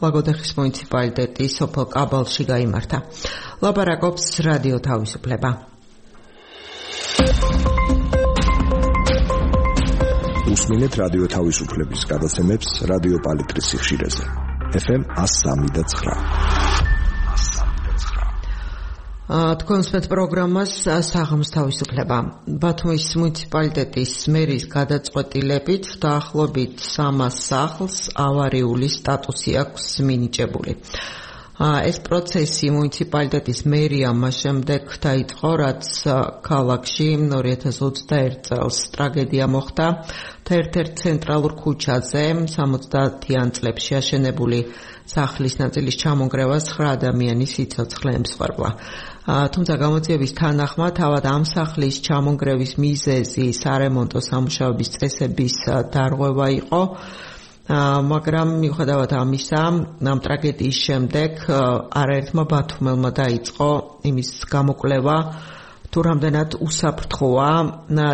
S1: ლაგოდეხის მუნიციპალიტეტის სოფელ კაბალში გაიმართა. ლაპარაკობს რადიო თავისუფლება.
S8: უსმინეთ რადიო თავისუფლების გადაცემებს რადიო პალიტრის სიხშირეზე. FM 103.9.
S1: თქვენს პროგრამას საღამოს თავისუფლება. ბათუმის მუნიციპალიტეტის მერის გადაწყვეტილებით დაახლოებით 300 სახლს ავარიული სტატუსი აქვს მინიჭებული. ეს პროცესი მუნიციპალიტეტის მერიამ შემდეგ დაიწყო, რაც ქალაქში 2021 წელს ტრაგედია მოხდა და ერთ-ერთ ცენტრალურ ქუჩაზე 70-იან წლებში აშენებული სახლის ნაწილის ჩამონგრევას 9 ადამიანის სიცოცხლე ემსხვერპლა. თუმცა გამოძიების თანახმად თავად ამ სახლის ჩამონგრევის მიზეზი სარემონტო სამუშაოების წესების დარღვევა იყო, მაგრამ მიუხედავად ამისა, ამ ტრაგედიის შემდეგ არაერთმა ბათუმელმა დაიწყო იმის გამოკვლევა, თუ რამდენად უსაფრთხოა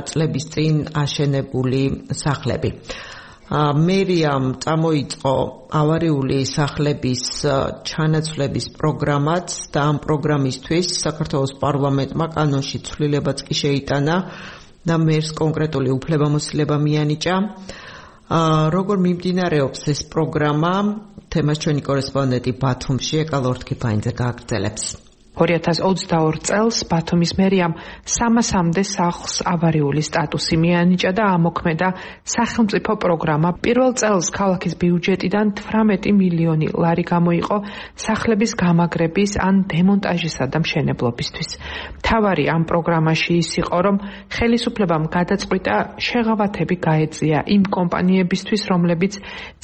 S1: წლების წინ აშენებული სახლები. მერიამ წამოიწყო ავარიული სახლების ჩანაცვლების პროგრამაც და ამ პროგრამისთვის საქართველოს პარლამენტმა კანონში ცვლილებაც კი შეიტანა და მერს კონკრეტული უფლებამოსილება მიანიჭა. როგორ მიმდინარეობს ეს პროგრამა, თემას ჩვენი კორესპონდენტი ბათუმში ეკალორთქიფაინძე გააგრძელებს.
S5: 2022 წელს ბათუმის მერიამ 300-მდე სახლს ავარიული სტატუსი მიანიჭა და ამოქმედა სახელმწიფო პროგრამა. პირველ წელს ქალაქის ბიუჯეტიდან 18 მილიონი ლარი გამოიყო სახლების გამაგრების ან დემონტაჟისა და მშენებლობისთვის. მთავარი ამ პროგრამაში ის იყო, რომ ხელისუფლებამ გადაწყვიტა შეღავათები გაეწია იმ კომპანიებისთვის, რომლებიც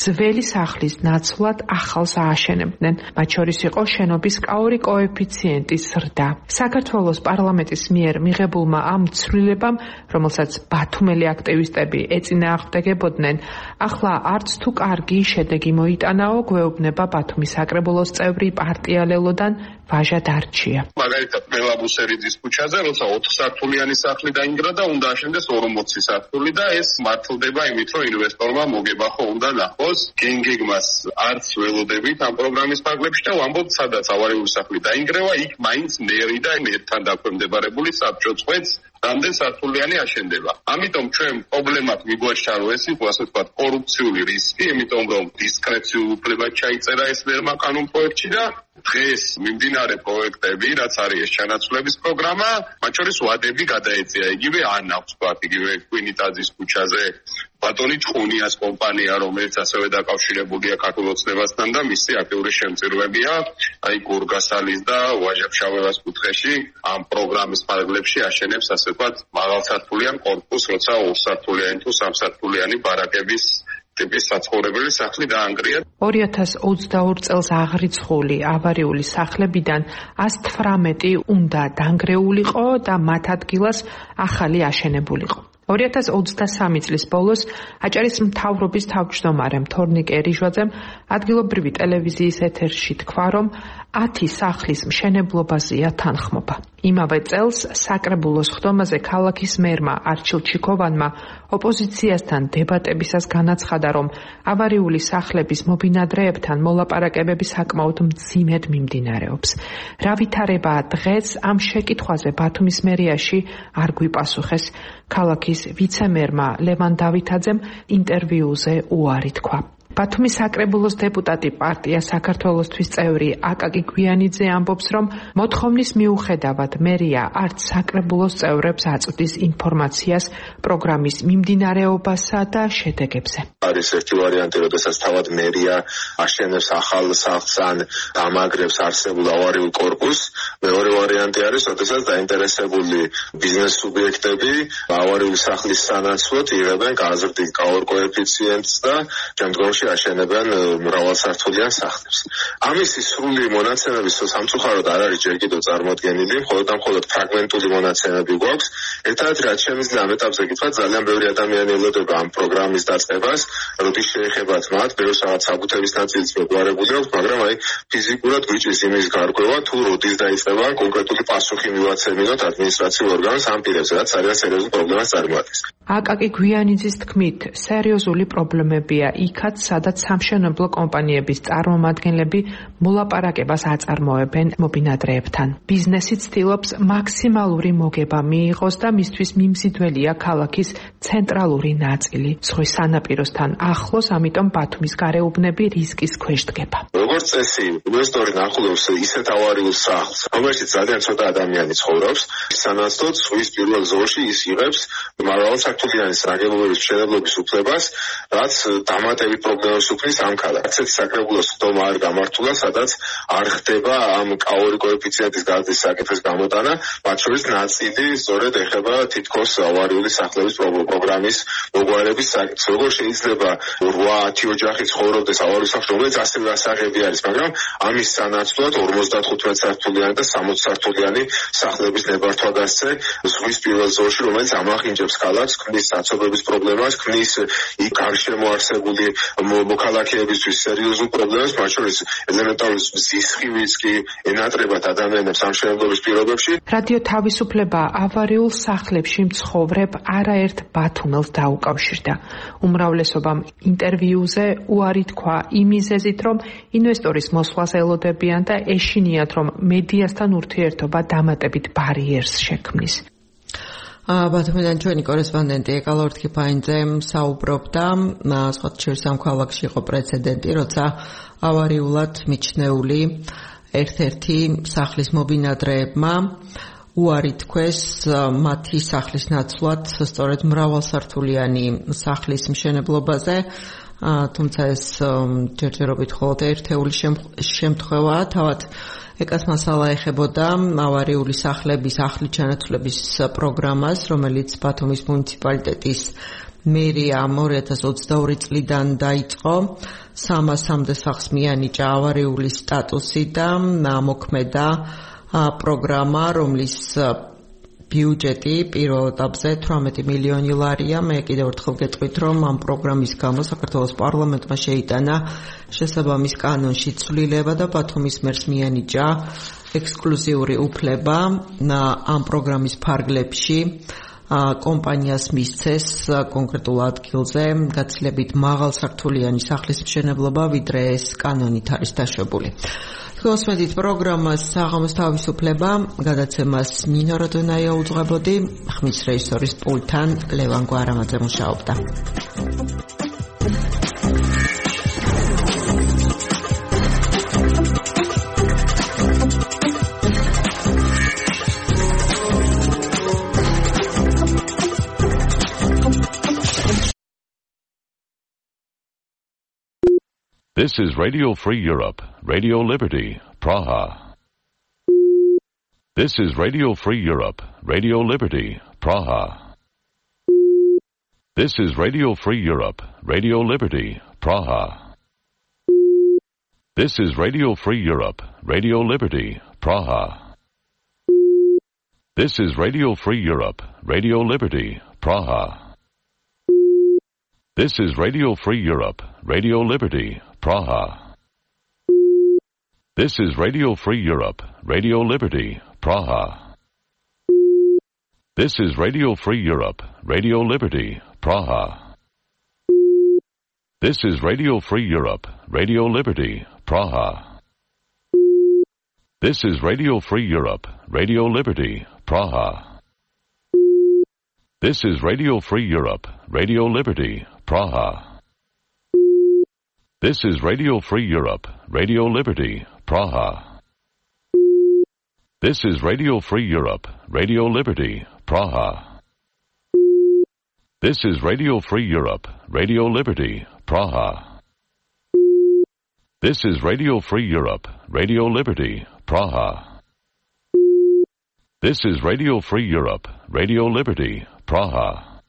S5: ძველი სახლის ნაცვლად ახალს ააშენებდნენ. მათ შორის იყო შენობის კაური კოეფიციენტი პაციენტის ზრდა. საქართველოს პარლამენტის მიერ მიღებულმა ამ ცვლილებამ, რომელსაც ბათუმელი აქტივისტები ეწინააღმდეგებოდნენ, ახლა არც თუ კარგი შედეგი მოიტანაო, გვეუბნება ბათუმის საკრებულოს წევრი პარტია ლელოდან ვაჟა დარჩია.
S11: მაგალითად, მელაბუსერიძის ქუჩაზე, როცა 4 სართულიანი სახლი დაინგრა და უნდა აშენდეს 40 სართული და ეს მართლდება იმით, რომ ინვესტორმა მოგება ხო უნდა ნახოს. გენგეგმას არც ველოდებით ამ პროგრამის ფარგლებში და ვამბობთ, სადაც ავარიული სახლი დაინგრევა, იქ მაინც მერი და მერთან დაქვემდებარებული საბჭო წვეთს რამდენ სართულიანი აშენდება. ამიტომ ჩვენ პრობლემად მიგვაჩნდა, რომ ეს იყო ასე ვთქვათ კორუფციული რისკი, იმიტომ რომ დისკრეციულ უფლებად ჩაიწერა ეს ნორმა კანონ პროექტში და დღეს მიმდინარე პროექტები, რაც არის ეს ჩანაცვლების პროგრამა, მათ შორის ვადები გადაეწია. იგივე ანავს ვთქვათ, იგივე კვინიტაძის ქუჩაზე ბატონი ჭხუნიას კომპანია, რომელიც ასევე დაკავშირებულია ქართულ ოცნებასთან და მისი აქტიური შემწირვებია, აი გორგასალის და ვაჟა-ფშავევას კუთხეში ამ პროგრამის ფარგლებში აშენებს ასე ვთქვათ მაღალსართულიან კორპუსს, როცა 2 სართულიანი თუ 3 სართულიანი ბარაკების ტიპის საცხოვრებელი სახლი დაანგრია.
S5: 2022 წელს აღრიცხული ავარიული სახლებიდან 118 უნდა დანგრეულიყო და მათ ადგილას ახალი აშენებულიყო. 2023 წლის ბოლოს აჭარის მთავრობის თავმჯდომარემ თორნიკე რიჟვაძემ ადგილობრივი ტელევიზიის ეთერში თქვა, რომ 10 სახლის მშენებლობაზეა თანხმობა. იმავე წელს საკრებულოს ხდომაზე ქალაქის მერმა არჩილ ჩიქოვანმა ოპოზიციასთან დებატებისას განაცხადა, რომ ავარიული სახლების მობინადრეებთან მოლაპარაკებები საკმაოდ მძიმედ მიმდინარეობს. რა ვითარებაა დღეს ამ შეკითხვაზე ბათუმის მერიაში არ გვიპასუხეს. ქალაქის ვიცე-მერმა ლევან დავითაძემ ინტერვიუზე უარი თქვა. ბათუმის საკრებულოს დეპუტატი პარტია საქართველოსთვის წევრი აკაკი გვიანიძე ამბობს, რომ მოთხოვნის მიუხედავად მერია არც საკრებულოს წევრებს აწვდის ინფორმაციას პროგრამის მიმდინარეობასა და შედეგებზე.
S11: არის ერთი ვარიანტი, როდესაც თავად მერია აშენებს ახალ სახლს ან დამაგრებს არსებულ ავარიულ კორპუსს. მეორე ვარიანტი არის, როდესაც დაინტერესებული ბიზნეს სუბიექტები ავარიული სახლის სანაცვლოდ იღებენ გაზრდილ კოეფიციენტს და შემდგომში აშენებენ მრავალსართულიან სახლებს. ამისი სრული მონაცემები სამწუხაროდ არ არის ჯერ კიდევ წარმოდგენილი, მხოლოდ ფრაგმენტული მონაცემები გვაქვს. ერთადერთი რაც შემიძლია ამ ეტაპზე გითხრათ, ძალიან ბევრი ადამიანი ელოდება ამ პროგრამის დაწყებას, როდის შეეხებათ მათ, ბევრს რაღაც საბუთების ნაწილიც მოგვარებული აქვს, მაგრამ აი ფიზიკურად გვიჭირს იმის გარკვევა, თუ როდის დაიწყება კონკრეტული პასუხი მივაცემინოთ ადმინისტრაციულ ორგანოს ამ პირებზე, რაც ძალიან სერიოზულ პრობლემას წარმოადგენს.
S5: აკაკი გვიანიძის თქმით, სერიოზული პრობლემებია იქაც, სადაც სამშენებლო კომპანიების წარმომადგენლები მოლაპარაკებას აწარმოებენ მობინადრეებთან. ბიზნესი ცდილობს მაქსიმალური მოგება მიიღოს და მისთვის მიმზიდველია ქალაქის ცენტრალური ნაწილი. ზღვის სანაპიროსთან ახლოს, ამიტომ ბათუმის გარეუბნები რისკის ქვეშ დგება.
S11: როგორც წესი, ინვესტორი ნახულობს ისეთ ავარიულ სახლს, რომელშიც ძალიან ცოტა ადამიანი ცხოვრობს, სანაცვლოდ ზღვის პირველ ზოლში ის იღებს მრავალსართულიანი ნაგებობების მშენებლობის უფლებას, რაც დამატებით პრობლემებს უქმნის ამ ქალაქს. ასეთი საკრებულოს ხდომა არ გამართულა, სადაც არ ხდება ამ კაური კოეფიციენტის გაზრდის საკითხის გამოტანა, მათ შორის ნაწილი სწორედ ეხება თითქოს ავარიული სახლების პროგრამის მოგვარების საკითხს. როგორ შეიძლება 8-10 ოჯახი ცხოვრობდეს ავარიულ სახლში, რომელიც ასევე ასაღები არის, მაგრამ ამის სანაცვლოდ 55 სართულიანი და 60 სართულიანი სახლების ნებართვა გასცე ზღვის პირველ ზოლში, რომელიც ამახინჯებს ქალაქს, ქმნის საცობების პრობლემას, ქმნის იქ გარშემო არსებული მოქალაქეებისთვის სერიოზულ პრობლემას, მათ შორის ელემენტარული სისხლის კი ენატრებათ ადამიანებს ამ მშენებლობის პირობებში.
S5: რადიო თავისუფლება ავარიულ სახლებში მცხოვრებ არაერთ ბათუმელს დაუკავშირდა. უმრავლესობამ ინტერვიუზე უარი თქვა იმ მიზეზით, რომ ინვესტორის მოსვლას ელოდებიან და ეშინიათ, რომ მედიასთან ურთიერთობა დამატებით ბარიერს შექმნის.
S1: ბათუმიდან ჩვენი კორესპონდენტი ეკალორთ ქიფაინძე საუბრობდა, სხვათა შორის ამ ქალაქში იყო პრეცედენტი, როცა ავარიულად მიჩნეული ერთ-ერთი სახლის მობინადრეებმა უარი თქვეს მათი სახლის ნაცვლად სწორედ მრავალსართულიანი სახლის მშენებლობაზე, თუმცა ეს ჯერჯერობით მხოლოდ ერთეული შემთხვევაა. თავად ეკას მასალა ეხებოდა ავარიული სახლების ახლით ჩანაცვლების პროგრამას, რომელიც ბათუმის მუნიციპალიტეტის მერიამ 2022 წლიდან დაიწყო. 300-მდე სახლს მიანიჭა ავარიული სტატუსი და მოქმედა პროგრამა, რომლის ბიუჯეტი პირველ ეტაპზე 18 მილიონი ლარია. მე კიდევ ერთხელ გეტყვით, რომ ამ პროგრამის გამო საქართველოს პარლამენტმა შეიტანა შესაბამის კანონში ცვლილება და ბათუმის მერს მიანიჭა ექსკლუზიური უფლება ამ პროგრამის ფარგლებში კომპანიას მისცეს კონკრეტულ ადგილზე გაცილებით მაღალსართულიანი სახლის მშენებლობა, ვიდრე ეს კანონით არის დაშვებული. Kosmetit programmas sāgamas თავისუფლება გადაცემას ნინო როდონაია უძღვებოდი, ხმის რეჟისორის პულტთან ლევან გვარამაძე მუშაობდა.
S12: This is Radio Free Europe, Radio Liberty, Praha. This is Radio Free Europe, Radio Liberty, Praha. This is Radio Free Europe, Radio Liberty, Praha. This is Radio Free Europe, Radio Liberty, Praha. This is Radio Free Europe, Radio Liberty, Praha. This is Radio Free Europe, Radio Liberty, Praha. This is Radio Free Europe, Radio Liberty, Praha. This is Radio Free Europe, Radio Liberty, Praha. This is Radio Free Europe, Radio Liberty, Praha. This is Radio Free Europe, Radio Liberty, Praha. This is Radio Free Europe, Radio Liberty, Praha. This is Radio Free Europe, Radio Liberty, Praha. This is Radio Free Europe, Radio Liberty, Praha. This is Radio Free Europe, Radio Liberty, Praha. This is Radio Free Europe, Radio Liberty, Praha. This is Radio Free Europe, Radio Liberty, Praha.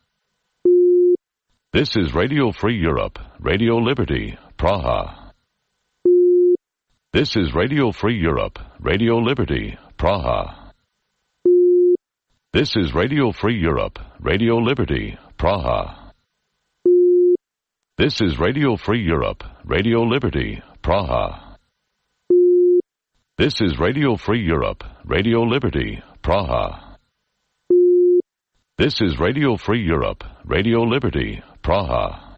S12: This is Radio Free Europe, Radio Liberty, Praha. This is Radio Free Europe, Radio Liberty, Praha. This is Radio Free Europe, Radio Liberty, Praha. This is Radio Free Europe, Radio Liberty, Praha. This is Radio Free Europe, Radio Liberty, Praha. This is Radio Free Europe, Radio Liberty, Praha.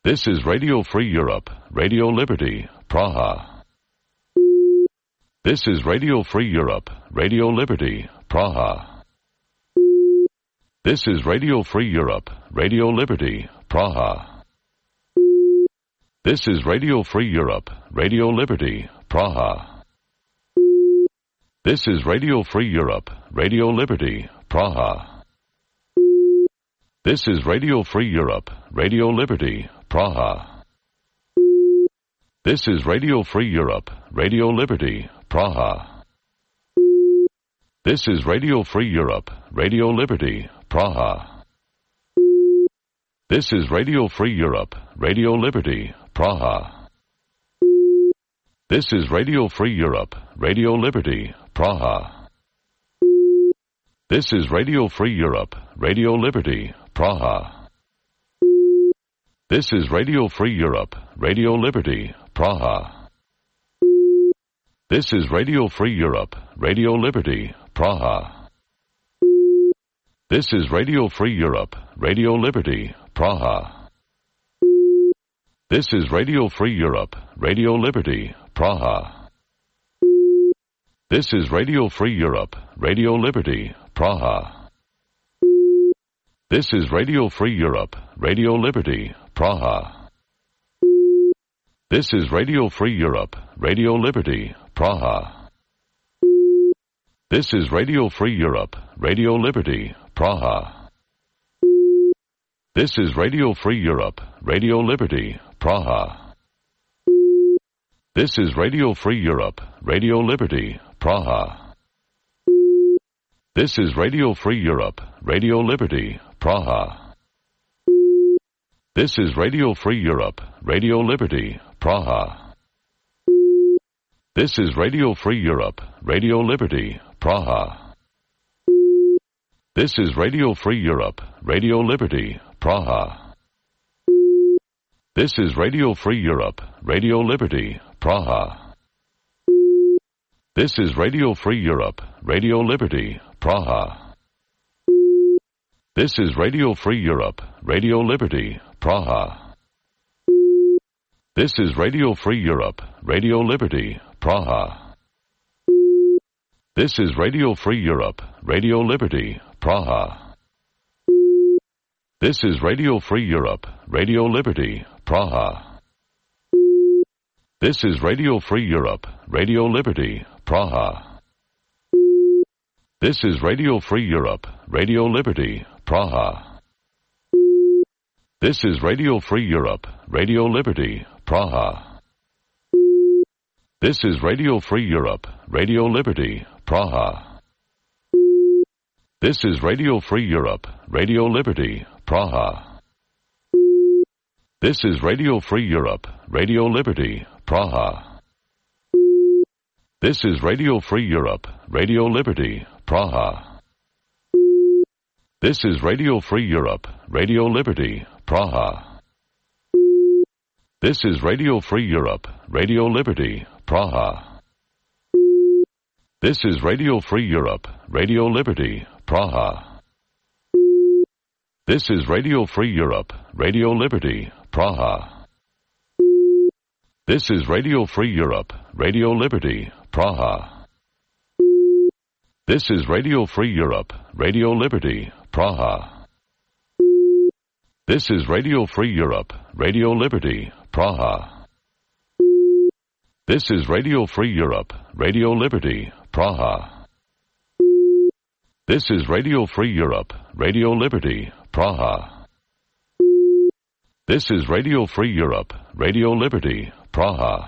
S12: This is Radio Free Europe, Radio Liberty, Praha. This is Radio Free Europe, Radio Liberty, Praha. This is Radio Free Europe, Radio Liberty, Praha. This is Radio Free Europe, Radio Liberty, Praha. This is Radio Free Europe, Radio Liberty, Praha. This is Radio Free Europe, Radio Liberty, Praha. This is Radio Free Europe, Radio Liberty, Praha. This is Radio Free Europe, Radio Liberty, Praha. This is Radio Free Europe, Radio Liberty, Praha. This is Radio Free Europe, Radio Liberty, Praha. This is Radio Free Europe, Radio Liberty, Praha. This is Radio Free Europe, Radio Liberty, Praha. This is Radio Free Europe, Radio Liberty, Praha. This is Radio Free Europe, Radio Liberty, Praha. This is Radio Free Europe, Radio Liberty, Praha. This is Radio Free Europe, Radio Liberty, Praha. This is Radio Free Europe, Radio Liberty, Praha. This is Radio Free Europe, Radio Liberty, Praha. This is Radio Free Europe, Radio Liberty, Praha. This is Radio Free Europe, Radio Liberty, Praha. This is Radio Free Europe, Radio Liberty, Praha. This is Radio Free Europe, Radio Liberty, Praha. This is Radio Free Europe, Radio Liberty, Praha. This is Radio Free Europe, Radio Liberty, Praha. This is Radio Free Europe, Radio Liberty, Praha. This is Radio Free Europe, Radio Liberty, Praha. This is Radio Free Europe, Radio Liberty, Praha. This is Radio Free Europe, Radio Liberty, Praha. This is Radio Free Europe, Radio Liberty, Praha. This is Radio Free Europe, Radio Liberty, Praha. This is Radio Free Europe, Radio Liberty, Praha. This is Radio Free Europe, Radio Liberty, Praha. This is Radio Free Europe, Radio Liberty, Praha. This is Radio Free Europe, Radio Liberty, Praha. This is Radio Free Europe, Radio Liberty, Praha. This is Radio Free Europe, Radio Liberty, Praha. This is Radio Free Europe, Radio Liberty, Praha. This is Radio Free Europe, Radio Liberty, Praha. This is Radio Free Europe, Radio Liberty, Praha. This is Radio Free Europe, Radio Liberty, Praha. This is Radio Free Europe, Radio Liberty, Praha. This is Radio Free Europe, Radio Liberty, Praha. This is Radio Free Europe, Radio Liberty, Praha. This is Radio Free Europe, Radio Liberty, Praha. This is Radio Free Europe, Radio Liberty, Praha. This is Radio Free Europe, Radio Liberty, Praha. This is Radio Free Europe, Radio Liberty, Praha. This is Radio Free Europe, Radio Liberty, Praha.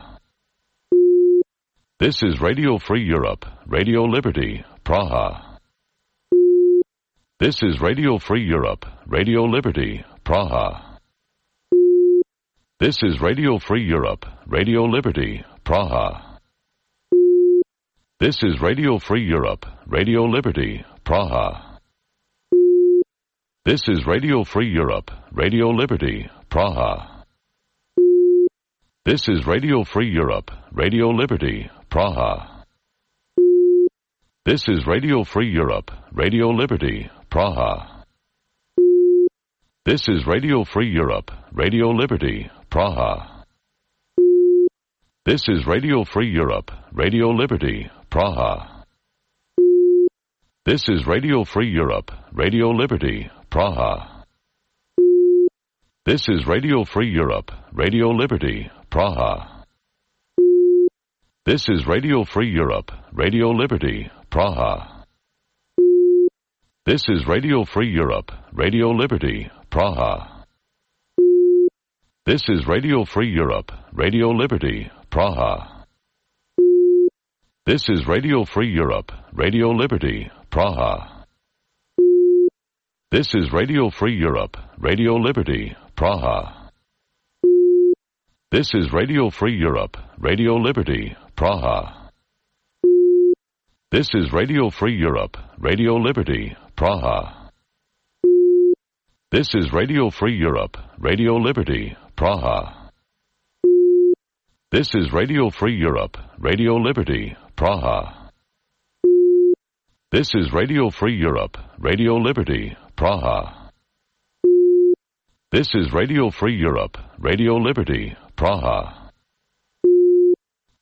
S12: This is Radio Free Europe, Radio Liberty, Praha. This is Radio Free Europe, Radio Liberty, Praha. This is Radio Free Europe, Radio Liberty, Praha. This is Radio Free Europe, Radio Liberty, Praha. This is Radio Free Europe, Radio Liberty, Praha. This is Radio Free Europe, Radio Liberty, Praha. This is Radio Free Europe, Radio Liberty, Praha. This is Radio Free Europe, Radio Liberty, Praha. This is Radio Free Europe, Radio Liberty, Praha. This is Radio Free Europe, Radio Liberty, Praha. This is Radio Free Europe, Radio Liberty, Praha. This is Radio Free Europe, Radio Liberty, Praha. This is Radio Free Europe, Radio Liberty, Praha. This is Radio Free Europe, Radio Liberty, Praha. This is Radio Free Europe, Radio Liberty, Praha. This is Radio Free Europe, Radio Liberty, Praha. This is Radio Free Europe, Radio Liberty, Praha. This is Radio Free Europe, Radio Liberty, Praha. This is Radio Free Europe, Radio Liberty, Praha. This is Radio Free Europe, Radio Liberty, Praha. This is Radio Free Europe, Radio Liberty, Praha. This is Radio Free Europe, Radio Liberty, Praha.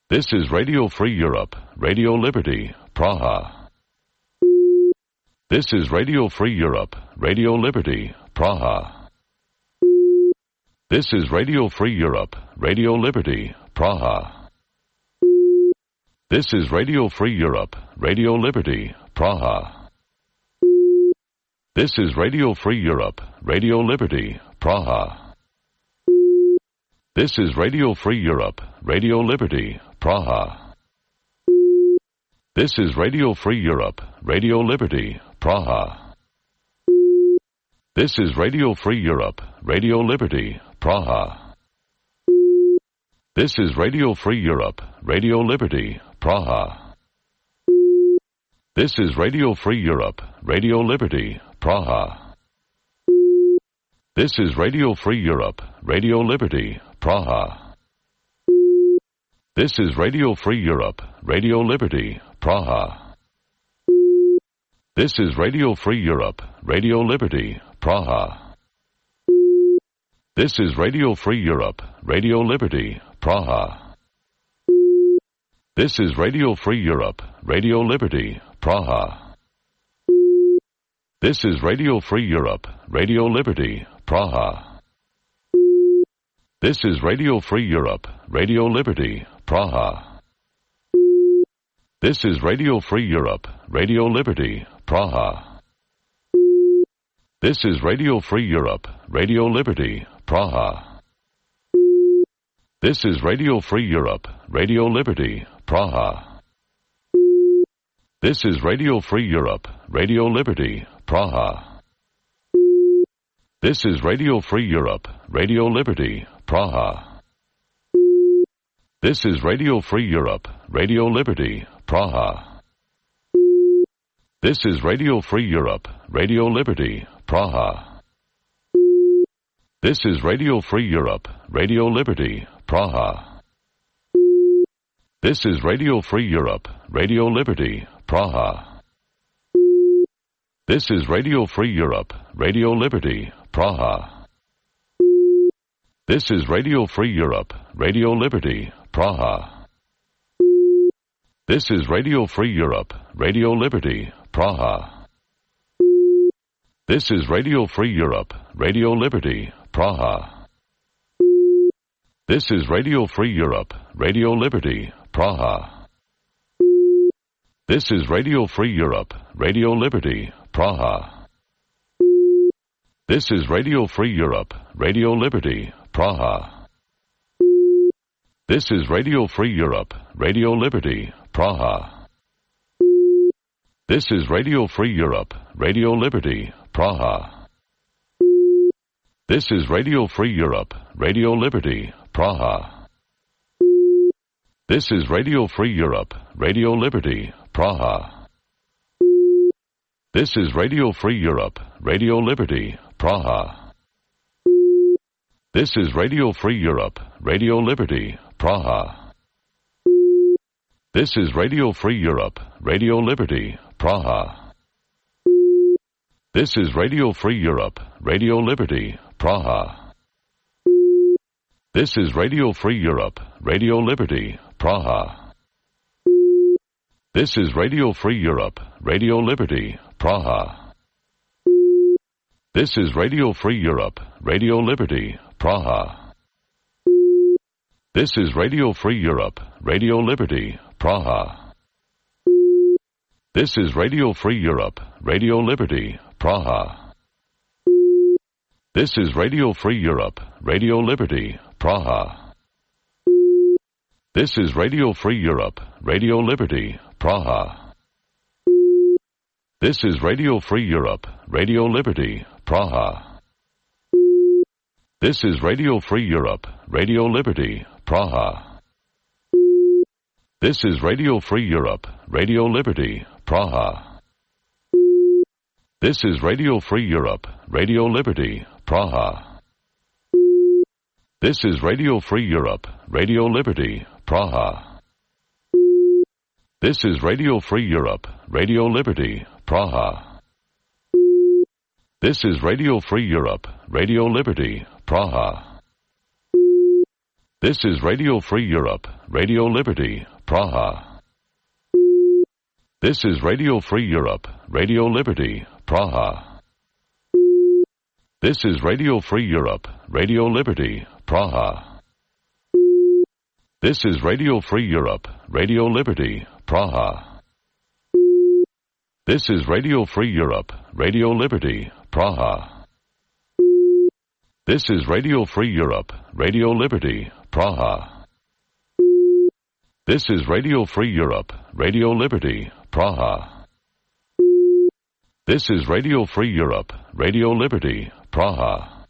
S12: This is Radio Free Europe, Radio Liberty, Praha. This is Radio Free Europe, Radio Liberty, Praha. This is Radio Free Europe, Radio Liberty, Praha. This is Radio Free Europe, Radio Liberty, Praha. This is Radio Free Europe, Radio Liberty, Praha. This is Radio Free Europe, Radio Liberty, Praha. This is Radio Free Europe, Radio Liberty, Praha. This is Radio Free Europe, Radio Liberty, Praha. This is Radio Free Europe, Radio Liberty, Praha. This is Radio Free Europe, Radio Liberty, Praha. This is Radio Free Europe, Radio Liberty, Praha. This is Radio Free Europe, Radio Liberty, Praha. This is Radio Free Europe, Radio Liberty, Praha. This is Radio Free Europe, Radio Liberty, Praha. This is Radio Free Europe, Radio Liberty, Praha. This is Radio Free Europe, Radio Liberty, Praha. This is Radio Free Europe, Radio Liberty, Praha. This is Radio Free Europe, Radio Liberty, Praha. This is Radio Free Europe, Radio Liberty, Praha. This is Radio Free Europe, Radio Liberty, Praha. This is Radio Free Europe, Radio Liberty, Praha. This is Radio Free Europe, Radio Liberty, Praha. This is Radio Free Europe, Radio Liberty, Praha. This is Radio Free Europe, Radio Liberty, Praha. This is Radio Free Europe, Radio Liberty, Praha. This is Radio Free Europe, Radio Liberty, Praha. This is Radio Free Europe, Radio Liberty, Praha. This is Radio Free Europe, Radio Liberty, Praha. This is Radio Free Europe, Radio Liberty, Praha. This is Radio Free Europe, Radio Liberty, Praha. This is Radio Free Europe, Radio Liberty, Praha. This is Radio Free Europe, Radio Liberty, Praha. This is Radio Free Europe, Radio Liberty, Praha. This is Radio Free Europe, Radio Liberty, Praha. This is Radio Free Europe, Radio Liberty, Praha. This is Radio Free Europe, Radio Liberty, Praha. This is Radio Free Europe, Radio Liberty, Praha. This is Radio Free Europe, Radio Liberty, Praha. This is Radio Free Europe, Radio Liberty, Praha. This is Radio Free Europe, Radio Liberty, Praha. This is Radio Free Europe, Radio Liberty, Praha. This is Radio Free Europe, Radio Liberty, Praha. This is Radio Free Europe, Radio Liberty, Praha. This is Radio Free Europe, Radio Liberty, Praha. This is Radio Free Europe, Radio Liberty, Praha. This is Radio Free Europe, Radio Liberty, Praha. This is Radio Free Europe, Radio Liberty, Praha. This is Radio Free Europe, Radio Liberty, Praha. This is Radio Free Europe, Radio Liberty, Praha. This is Radio Free Europe, Radio Liberty, Praha. This is Radio Free Europe, Radio Liberty, Praha. This is Radio Free Europe, Radio Liberty, Praha. This is Radio Free Europe, Radio Liberty, Praha. This is Radio Free Europe, Radio Liberty, Praha. This is Radio Free Europe, Radio Liberty, Praha. This is Radio Free Europe, Radio Liberty, Praha. This is Radio Free Europe, Radio Liberty, Praha. This is Radio Free Europe, Radio Liberty, Praha. This is Radio Free Europe, Radio Liberty, Praha. This is Radio Free Europe, Radio Liberty, Praha. This is Radio Free Europe, Radio Liberty, Praha. This is Radio Free Europe, Radio Liberty, Praha. This is Radio Free Europe, Radio Liberty, Praha.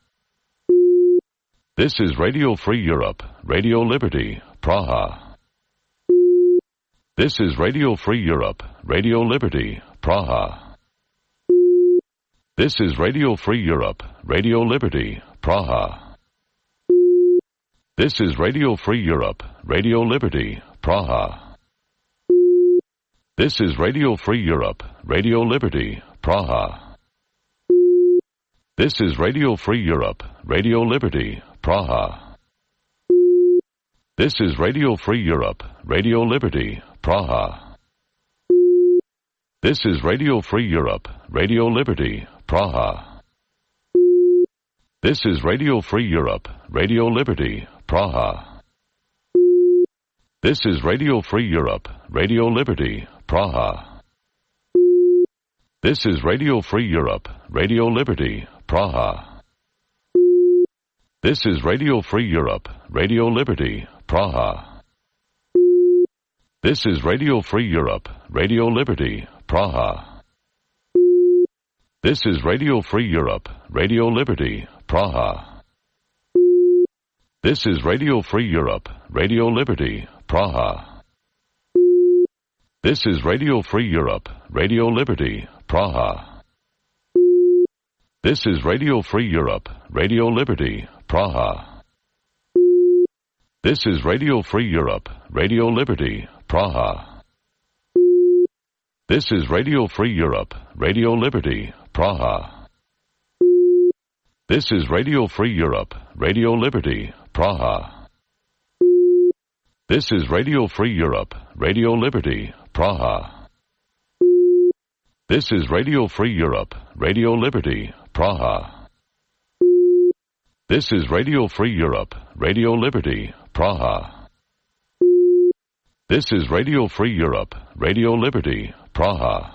S12: This is Radio Free Europe, Radio Liberty, Praha. This is Radio Free Europe, Radio Liberty, Praha. This is Radio Free Europe, Radio Liberty, Praha. This is Radio Free Europe, Radio Liberty, Praha. This is Radio Free Europe, Radio Liberty, Praha. This is Radio Free Europe, Radio Liberty, Praha. This is Radio Free Europe, Radio Liberty, Praha. This is Radio Free Europe, Radio Liberty, Praha. This is Radio Free Europe, Radio Liberty, Praha. This is Radio Free Europe, Radio Liberty, Praha. This is Radio Free Europe, Radio Liberty, Praha. This is Radio Free Europe, Radio Liberty, Praha. This is Radio Free Europe, Radio Liberty, Praha. This is Radio Free Europe, Radio Liberty, Praha. This is Radio Free Europe, Radio Liberty, Praha. This is Radio Free Europe, Radio Liberty, Praha. This is Radio Free Europe, Radio Liberty, Praha. This is Radio Free Europe, Radio Liberty, Praha. This is Radio Free Europe, Radio Liberty, Praha. This is Radio Free Europe, Radio Liberty, Praha. This is Radio Free Europe, Radio Liberty, Praha. This is Radio Free Europe, Radio Liberty, Praha. This is Radio Free Europe, Radio Liberty, Praha. This is Radio Free Europe, Radio Liberty, Praha.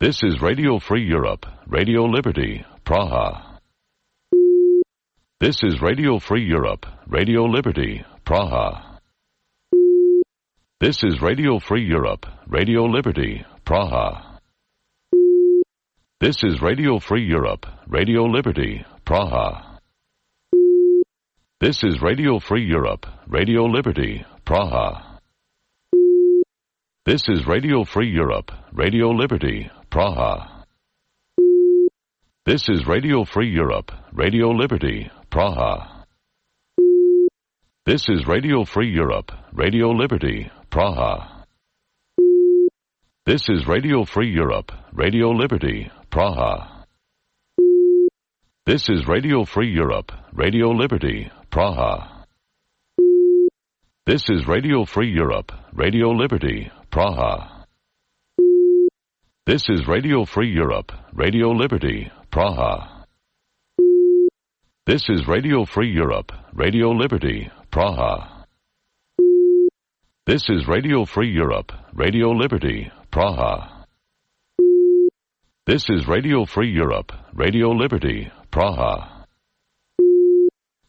S12: This is Radio Free Europe, Radio Liberty, Praha. This is Radio Free Europe, Radio Liberty, Praha. This is Radio Free Europe, Radio Liberty, Praha. This is Radio Free Europe, Radio Liberty, Praha. This is Radio Free Europe, Radio Liberty, Praha. This is Radio Free Europe, Radio Liberty, Praha. This is Radio Free Europe, Radio Liberty, Praha. This is Radio Free Europe, Radio Liberty, Praha. This is Radio Free Europe, Radio Liberty, Praha. This is Radio Free Europe, Radio Liberty, Praha. This is Radio Free Europe, Radio Liberty, Praha. This is Radio Free Europe, Radio Liberty, Praha. This is Radio Free Europe, Radio Liberty, Praha. This is Radio Free Europe, Radio Liberty, Praha. This is Radio Free Europe, Radio Liberty, Praha.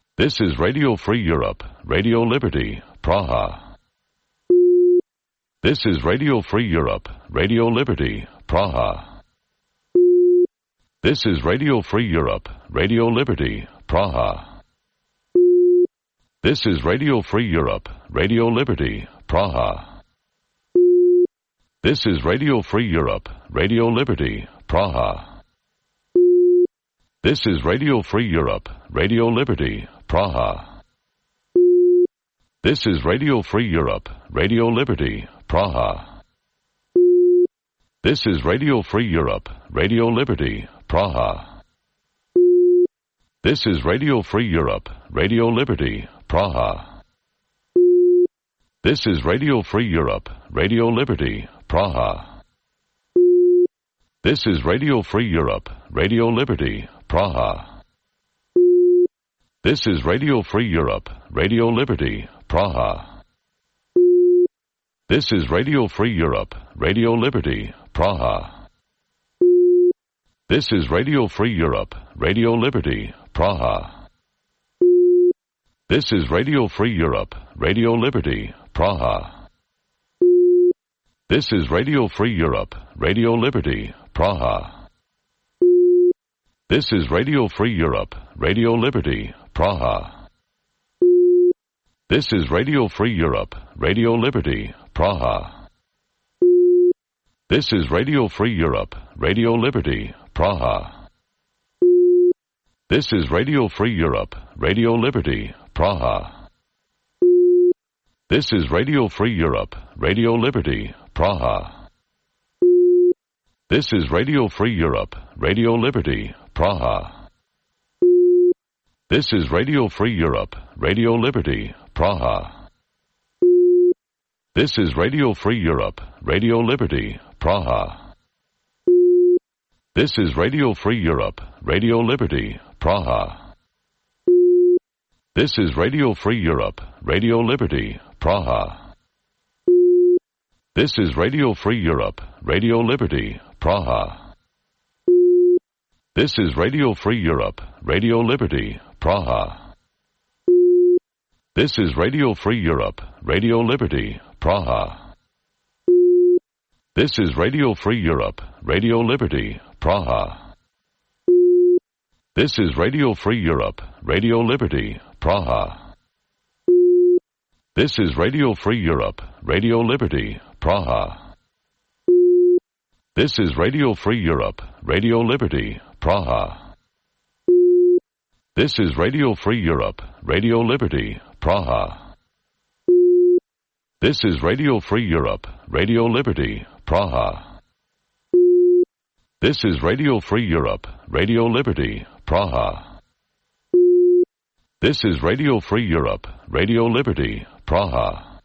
S12: This is Radio Free Europe, Radio Liberty, Praha. This is Radio Free Europe, Radio Liberty, Praha. This is Radio Free Europe, Radio Liberty, Praha. This is Radio Free Europe, Radio Liberty, Praha. This is Radio Free Europe, Radio Liberty, Praha. This is Radio Free Europe, Radio Liberty, Praha. This is Radio Free Europe, Radio Liberty, Praha. This is Radio Free Europe, Radio Liberty, Praha. This is Radio Free Europe, Radio Liberty, Praha. This is Radio Free Europe, Radio Liberty, Praha. This is Radio Free Europe, Radio Liberty, Praha. This is Radio Free Europe, Radio Liberty, Praha. This is Radio Free Europe, Radio Liberty, Praha. This is Radio Free Europe, Radio Liberty, Praha. This is Radio Free Europe, Radio Liberty, Praha. This is Radio Free Europe, Radio Liberty, Praha. This is Radio Free Europe, Radio Liberty, Praha. This is Radio Free Europe, Radio Liberty, Praha. This is Radio Free Europe, Radio Liberty, Praha. This is Radio Free Europe, Radio Liberty, Praha. This is Radio Free Europe, Radio Liberty, Praha. This is Radio Free Europe, Radio Liberty, Praha. This is Radio Free Europe, Radio Liberty, Praha. This is Radio Free Europe, Radio Liberty, Praha. This is Radio Free Europe, Radio Liberty, Praha. This is Radio Free Europe, Radio Liberty, Praha. This is Radio Free Europe, Radio Liberty, Praha. This is Radio Free Europe, Radio Liberty, Praha. This is Radio Free Europe, Radio Liberty, Praha. This is Radio Free Europe, Radio Liberty, Praha. This is Radio Free Europe, Radio Liberty, Praha. This is Radio Free Europe, Radio Liberty, Praha. This is Radio Free Europe, Radio Liberty, Praha. This is Radio Free Europe, Radio Liberty, Praha. This is Radio Free Europe, Radio Liberty, Praha. This is Radio Free Europe, Radio Liberty, Praha. This is Radio Free Europe, Radio Liberty, Praha.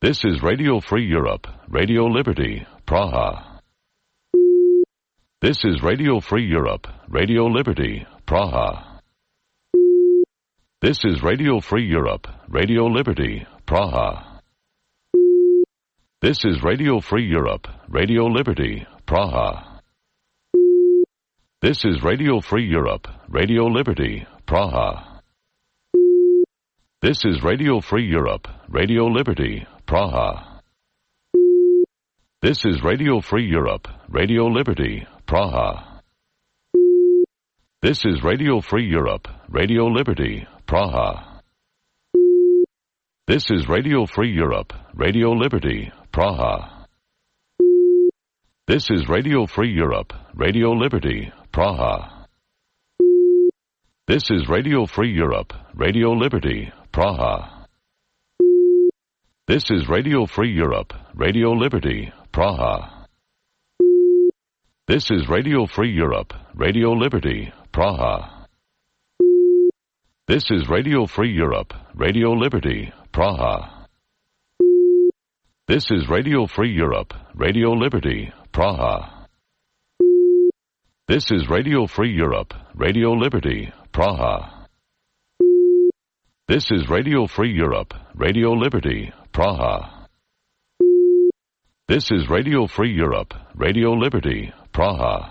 S12: This is Radio Free Europe, Radio Liberty, Praha. This is Radio Free Europe, Radio Liberty, Praha. This is Radio Free Europe, Radio Liberty, Praha. This is Radio Free Europe, Radio Liberty, Praha. This is Radio Free Europe, Radio Liberty, Praha. This is Radio Free Europe, Radio Liberty, Praha. This is Radio Free Europe, Radio Liberty, Praha. This is Radio Free Europe, Radio Liberty, Praha. This is Radio Free Europe, Radio Liberty, Praha. This is Radio Free Europe, Radio Liberty, Praha. This is Radio Free Europe, Radio Liberty, Praha. This is Radio Free Europe, Radio Liberty, Praha. This is Radio Free Europe, Radio Liberty, Praha. This is Radio Free Europe, Radio Liberty, Praha. This is Radio Free Europe, Radio Liberty, Praha. This is Radio Free Europe, Radio Liberty, Praha. This is Radio Free Europe, Radio Liberty, Praha. This is Radio Free Europe, Radio Liberty, Praha.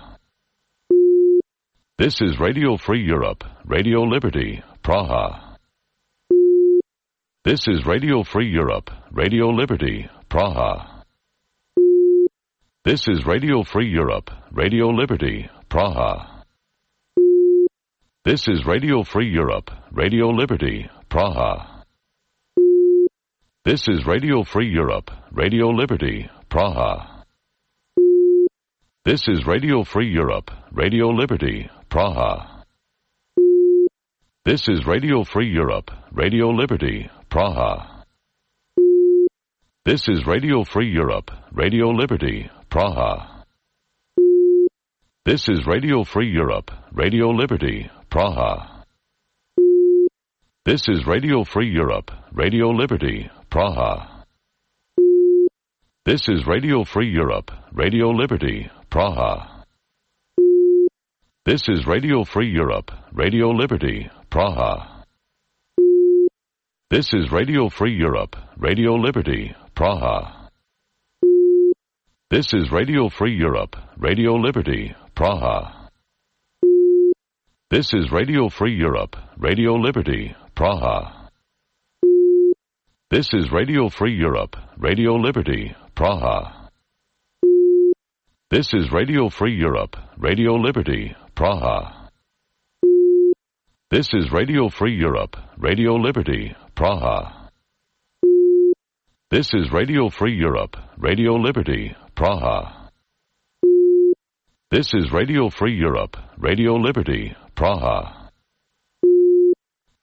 S12: This is Radio Free Europe, Radio Liberty, Praha. This is Radio Free Europe, Radio Liberty, Praha. This is Radio Free Europe, Radio Liberty, Praha. This is Radio Free Europe, Radio Liberty, Praha. This is Radio Free Europe, Radio Liberty, Praha. This is Radio Free Europe, Radio Liberty, Praha. This is Radio Free Europe, Radio Liberty, Praha. This is Radio Free Europe, Radio Liberty, Praha. This is Radio Free Europe, Radio Liberty, Praha. This is Radio Free Europe, Radio Liberty, Praha. This is Radio Free Europe, Radio Liberty, Praha. This is Radio Free Europe, Radio Liberty, Praha. This is Radio Free Europe, Radio Liberty, Praha. This is Radio Free Europe, Radio Liberty, Praha. This is Radio Free Europe, Radio Liberty, Praha. This is Radio Free Europe, Radio Liberty, Praha. This is Radio Free Europe, Radio Liberty, Praha. This is Radio Free Europe, Radio Liberty, Praha. This is Radio Free Europe, Radio Liberty, Praha. This is Radio Free Europe, Radio Liberty, Praha.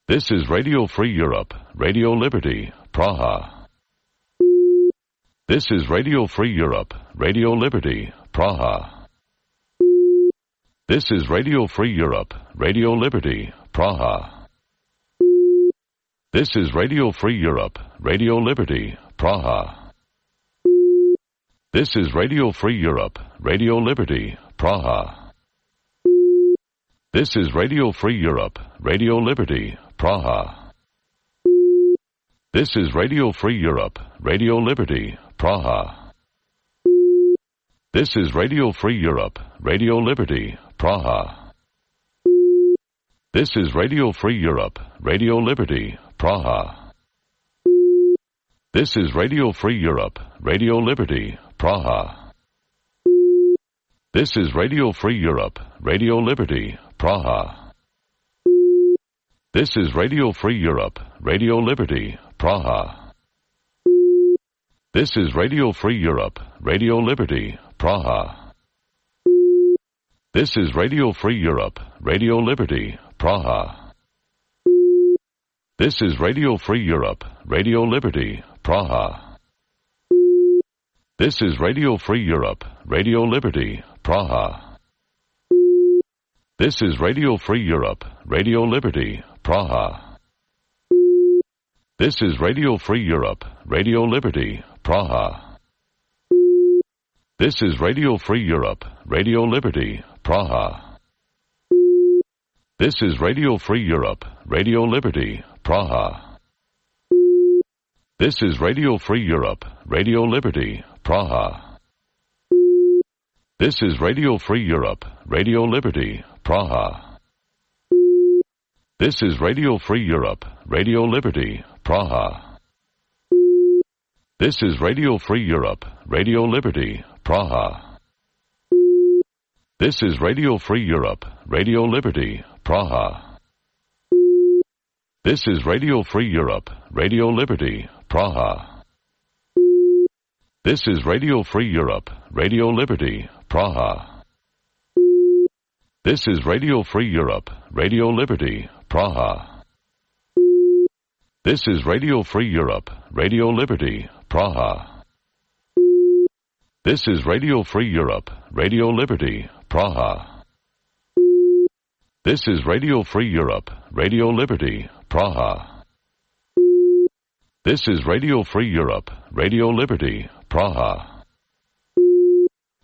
S12: This is Radio Free Europe, Radio Liberty, Praha. This is Radio Free Europe, Radio Liberty, Praha. This is Radio Free Europe, Radio Liberty, Praha. This is Radio Free Europe, Radio Liberty, Praha. This is Radio Free Europe, Radio Liberty, Praha. This is Radio Free Europe, Radio Liberty, Praha. This is Radio Free Europe, Radio Liberty, Praha. This is Radio Free Europe, Radio Liberty, Praha. This is Radio Free Europe, Radio Liberty, Praha. This is Radio Free Europe, Radio Liberty, Praha. This is Radio Free Europe, Radio Liberty, Praha. This is Radio Free Europe, Radio Liberty, Praha. This is Radio Free Europe, Radio Liberty, Praha. This is Radio Free Europe, Radio Liberty, Praha. This is Radio Free Europe, Radio Liberty, Praha. This is Radio Free Europe, Radio Liberty, Praha. This is Radio Free Europe, Radio Liberty, Praha. This is Radio Free Europe, Radio Liberty, Praha. This is Radio Free Europe, Radio Liberty, Praha. This is Radio Free Europe, Radio Liberty, Praha. This is Radio Free Europe, Radio Liberty, Praha. This is Radio Free Europe, Radio Liberty, Praha. This is Radio Free Europe, Radio Liberty, Praha. This is Radio Free Europe, Radio Liberty, Praha. This is Radio Free Europe, Radio Liberty, Praha. This is Radio Free Europe, Radio Liberty, Praha. This is Radio Free Europe, Radio Liberty, Praha. This is Radio Free Europe, Radio Liberty, Praha. This is Radio Free Europe, Radio Liberty, Praha. This is Radio Free Europe, Radio Liberty, Praha. This is Radio Free Europe, Radio Liberty, Praha. This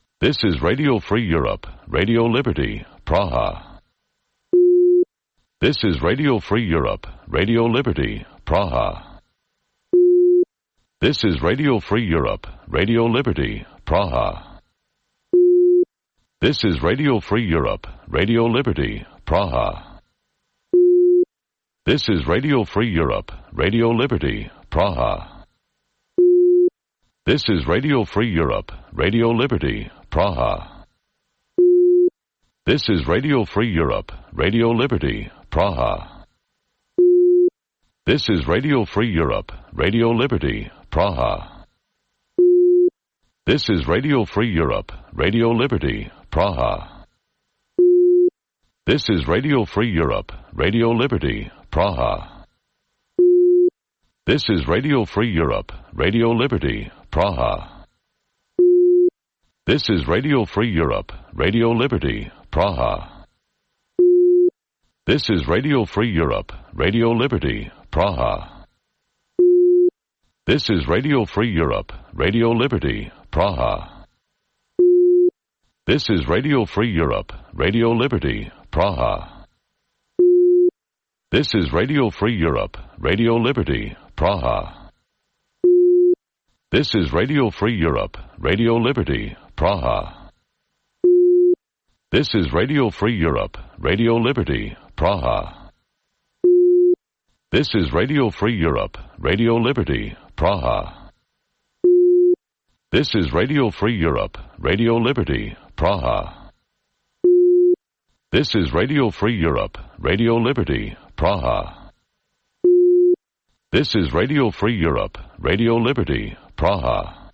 S12: is Radio Free Europe, Radio Liberty, Praha. This is Radio Free Europe, Radio Liberty, Praha. This is Radio Free Europe, Radio Liberty, Praha. This is Radio Free Europe, Radio Liberty, Praha. This is Radio Free Europe, Radio Liberty, Praha. This is Radio Free Europe, Radio Liberty, Praha. This is Radio Free Europe, Radio Liberty, Praha. This is Radio Free Europe, Radio Liberty, Praha. This is Radio Free Europe, Radio Liberty, Praha. This is Radio Free Europe, Radio Liberty, Praha. This is Radio Free Europe, Radio Liberty, Praha. This is Radio Free Europe, Radio Liberty, Praha. This is Radio Free Europe, Radio Liberty, Praha. This is Radio Free Europe, Radio Liberty, Praha. This is Radio Free Europe, Radio Liberty, Praha. This is Radio Free Europe, Radio Liberty, Praha. This is Radio Free Europe, Radio Liberty, Praha. This is Radio Free Europe, Radio Liberty, Praha. This is Radio Free Europe, Radio Liberty, Praha. This is Radio Free Europe, Radio Liberty, Praha. This is Radio Free Europe, Radio Liberty, Praha. This is Radio Free Europe, Radio Liberty, Praha. This is Radio Free Europe, Radio Liberty, Praha.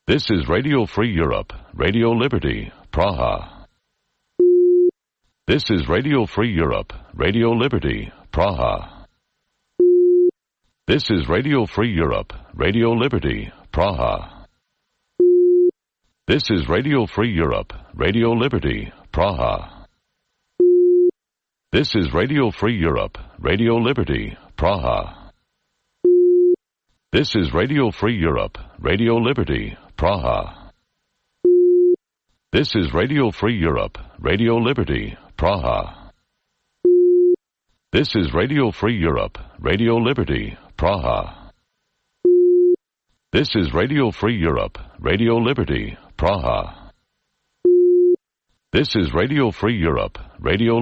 S12: This is Radio Free Europe, Radio Liberty, Praha. This is Radio Free Europe, Radio Liberty, Praha. This is Radio Free Europe, Radio Liberty, Praha. This is Radio Free Europe, Radio Liberty, Praha. This is Radio Free Europe, Radio Liberty, Praha. This is Radio Free Europe, Radio Liberty, Praha. This is Radio Free Europe, Radio Liberty, Praha. This is Radio Free Europe, Radio Liberty, Praha. This is Radio Free Europe, Radio Liberty, Praha. This is Radio Free Europe, Radio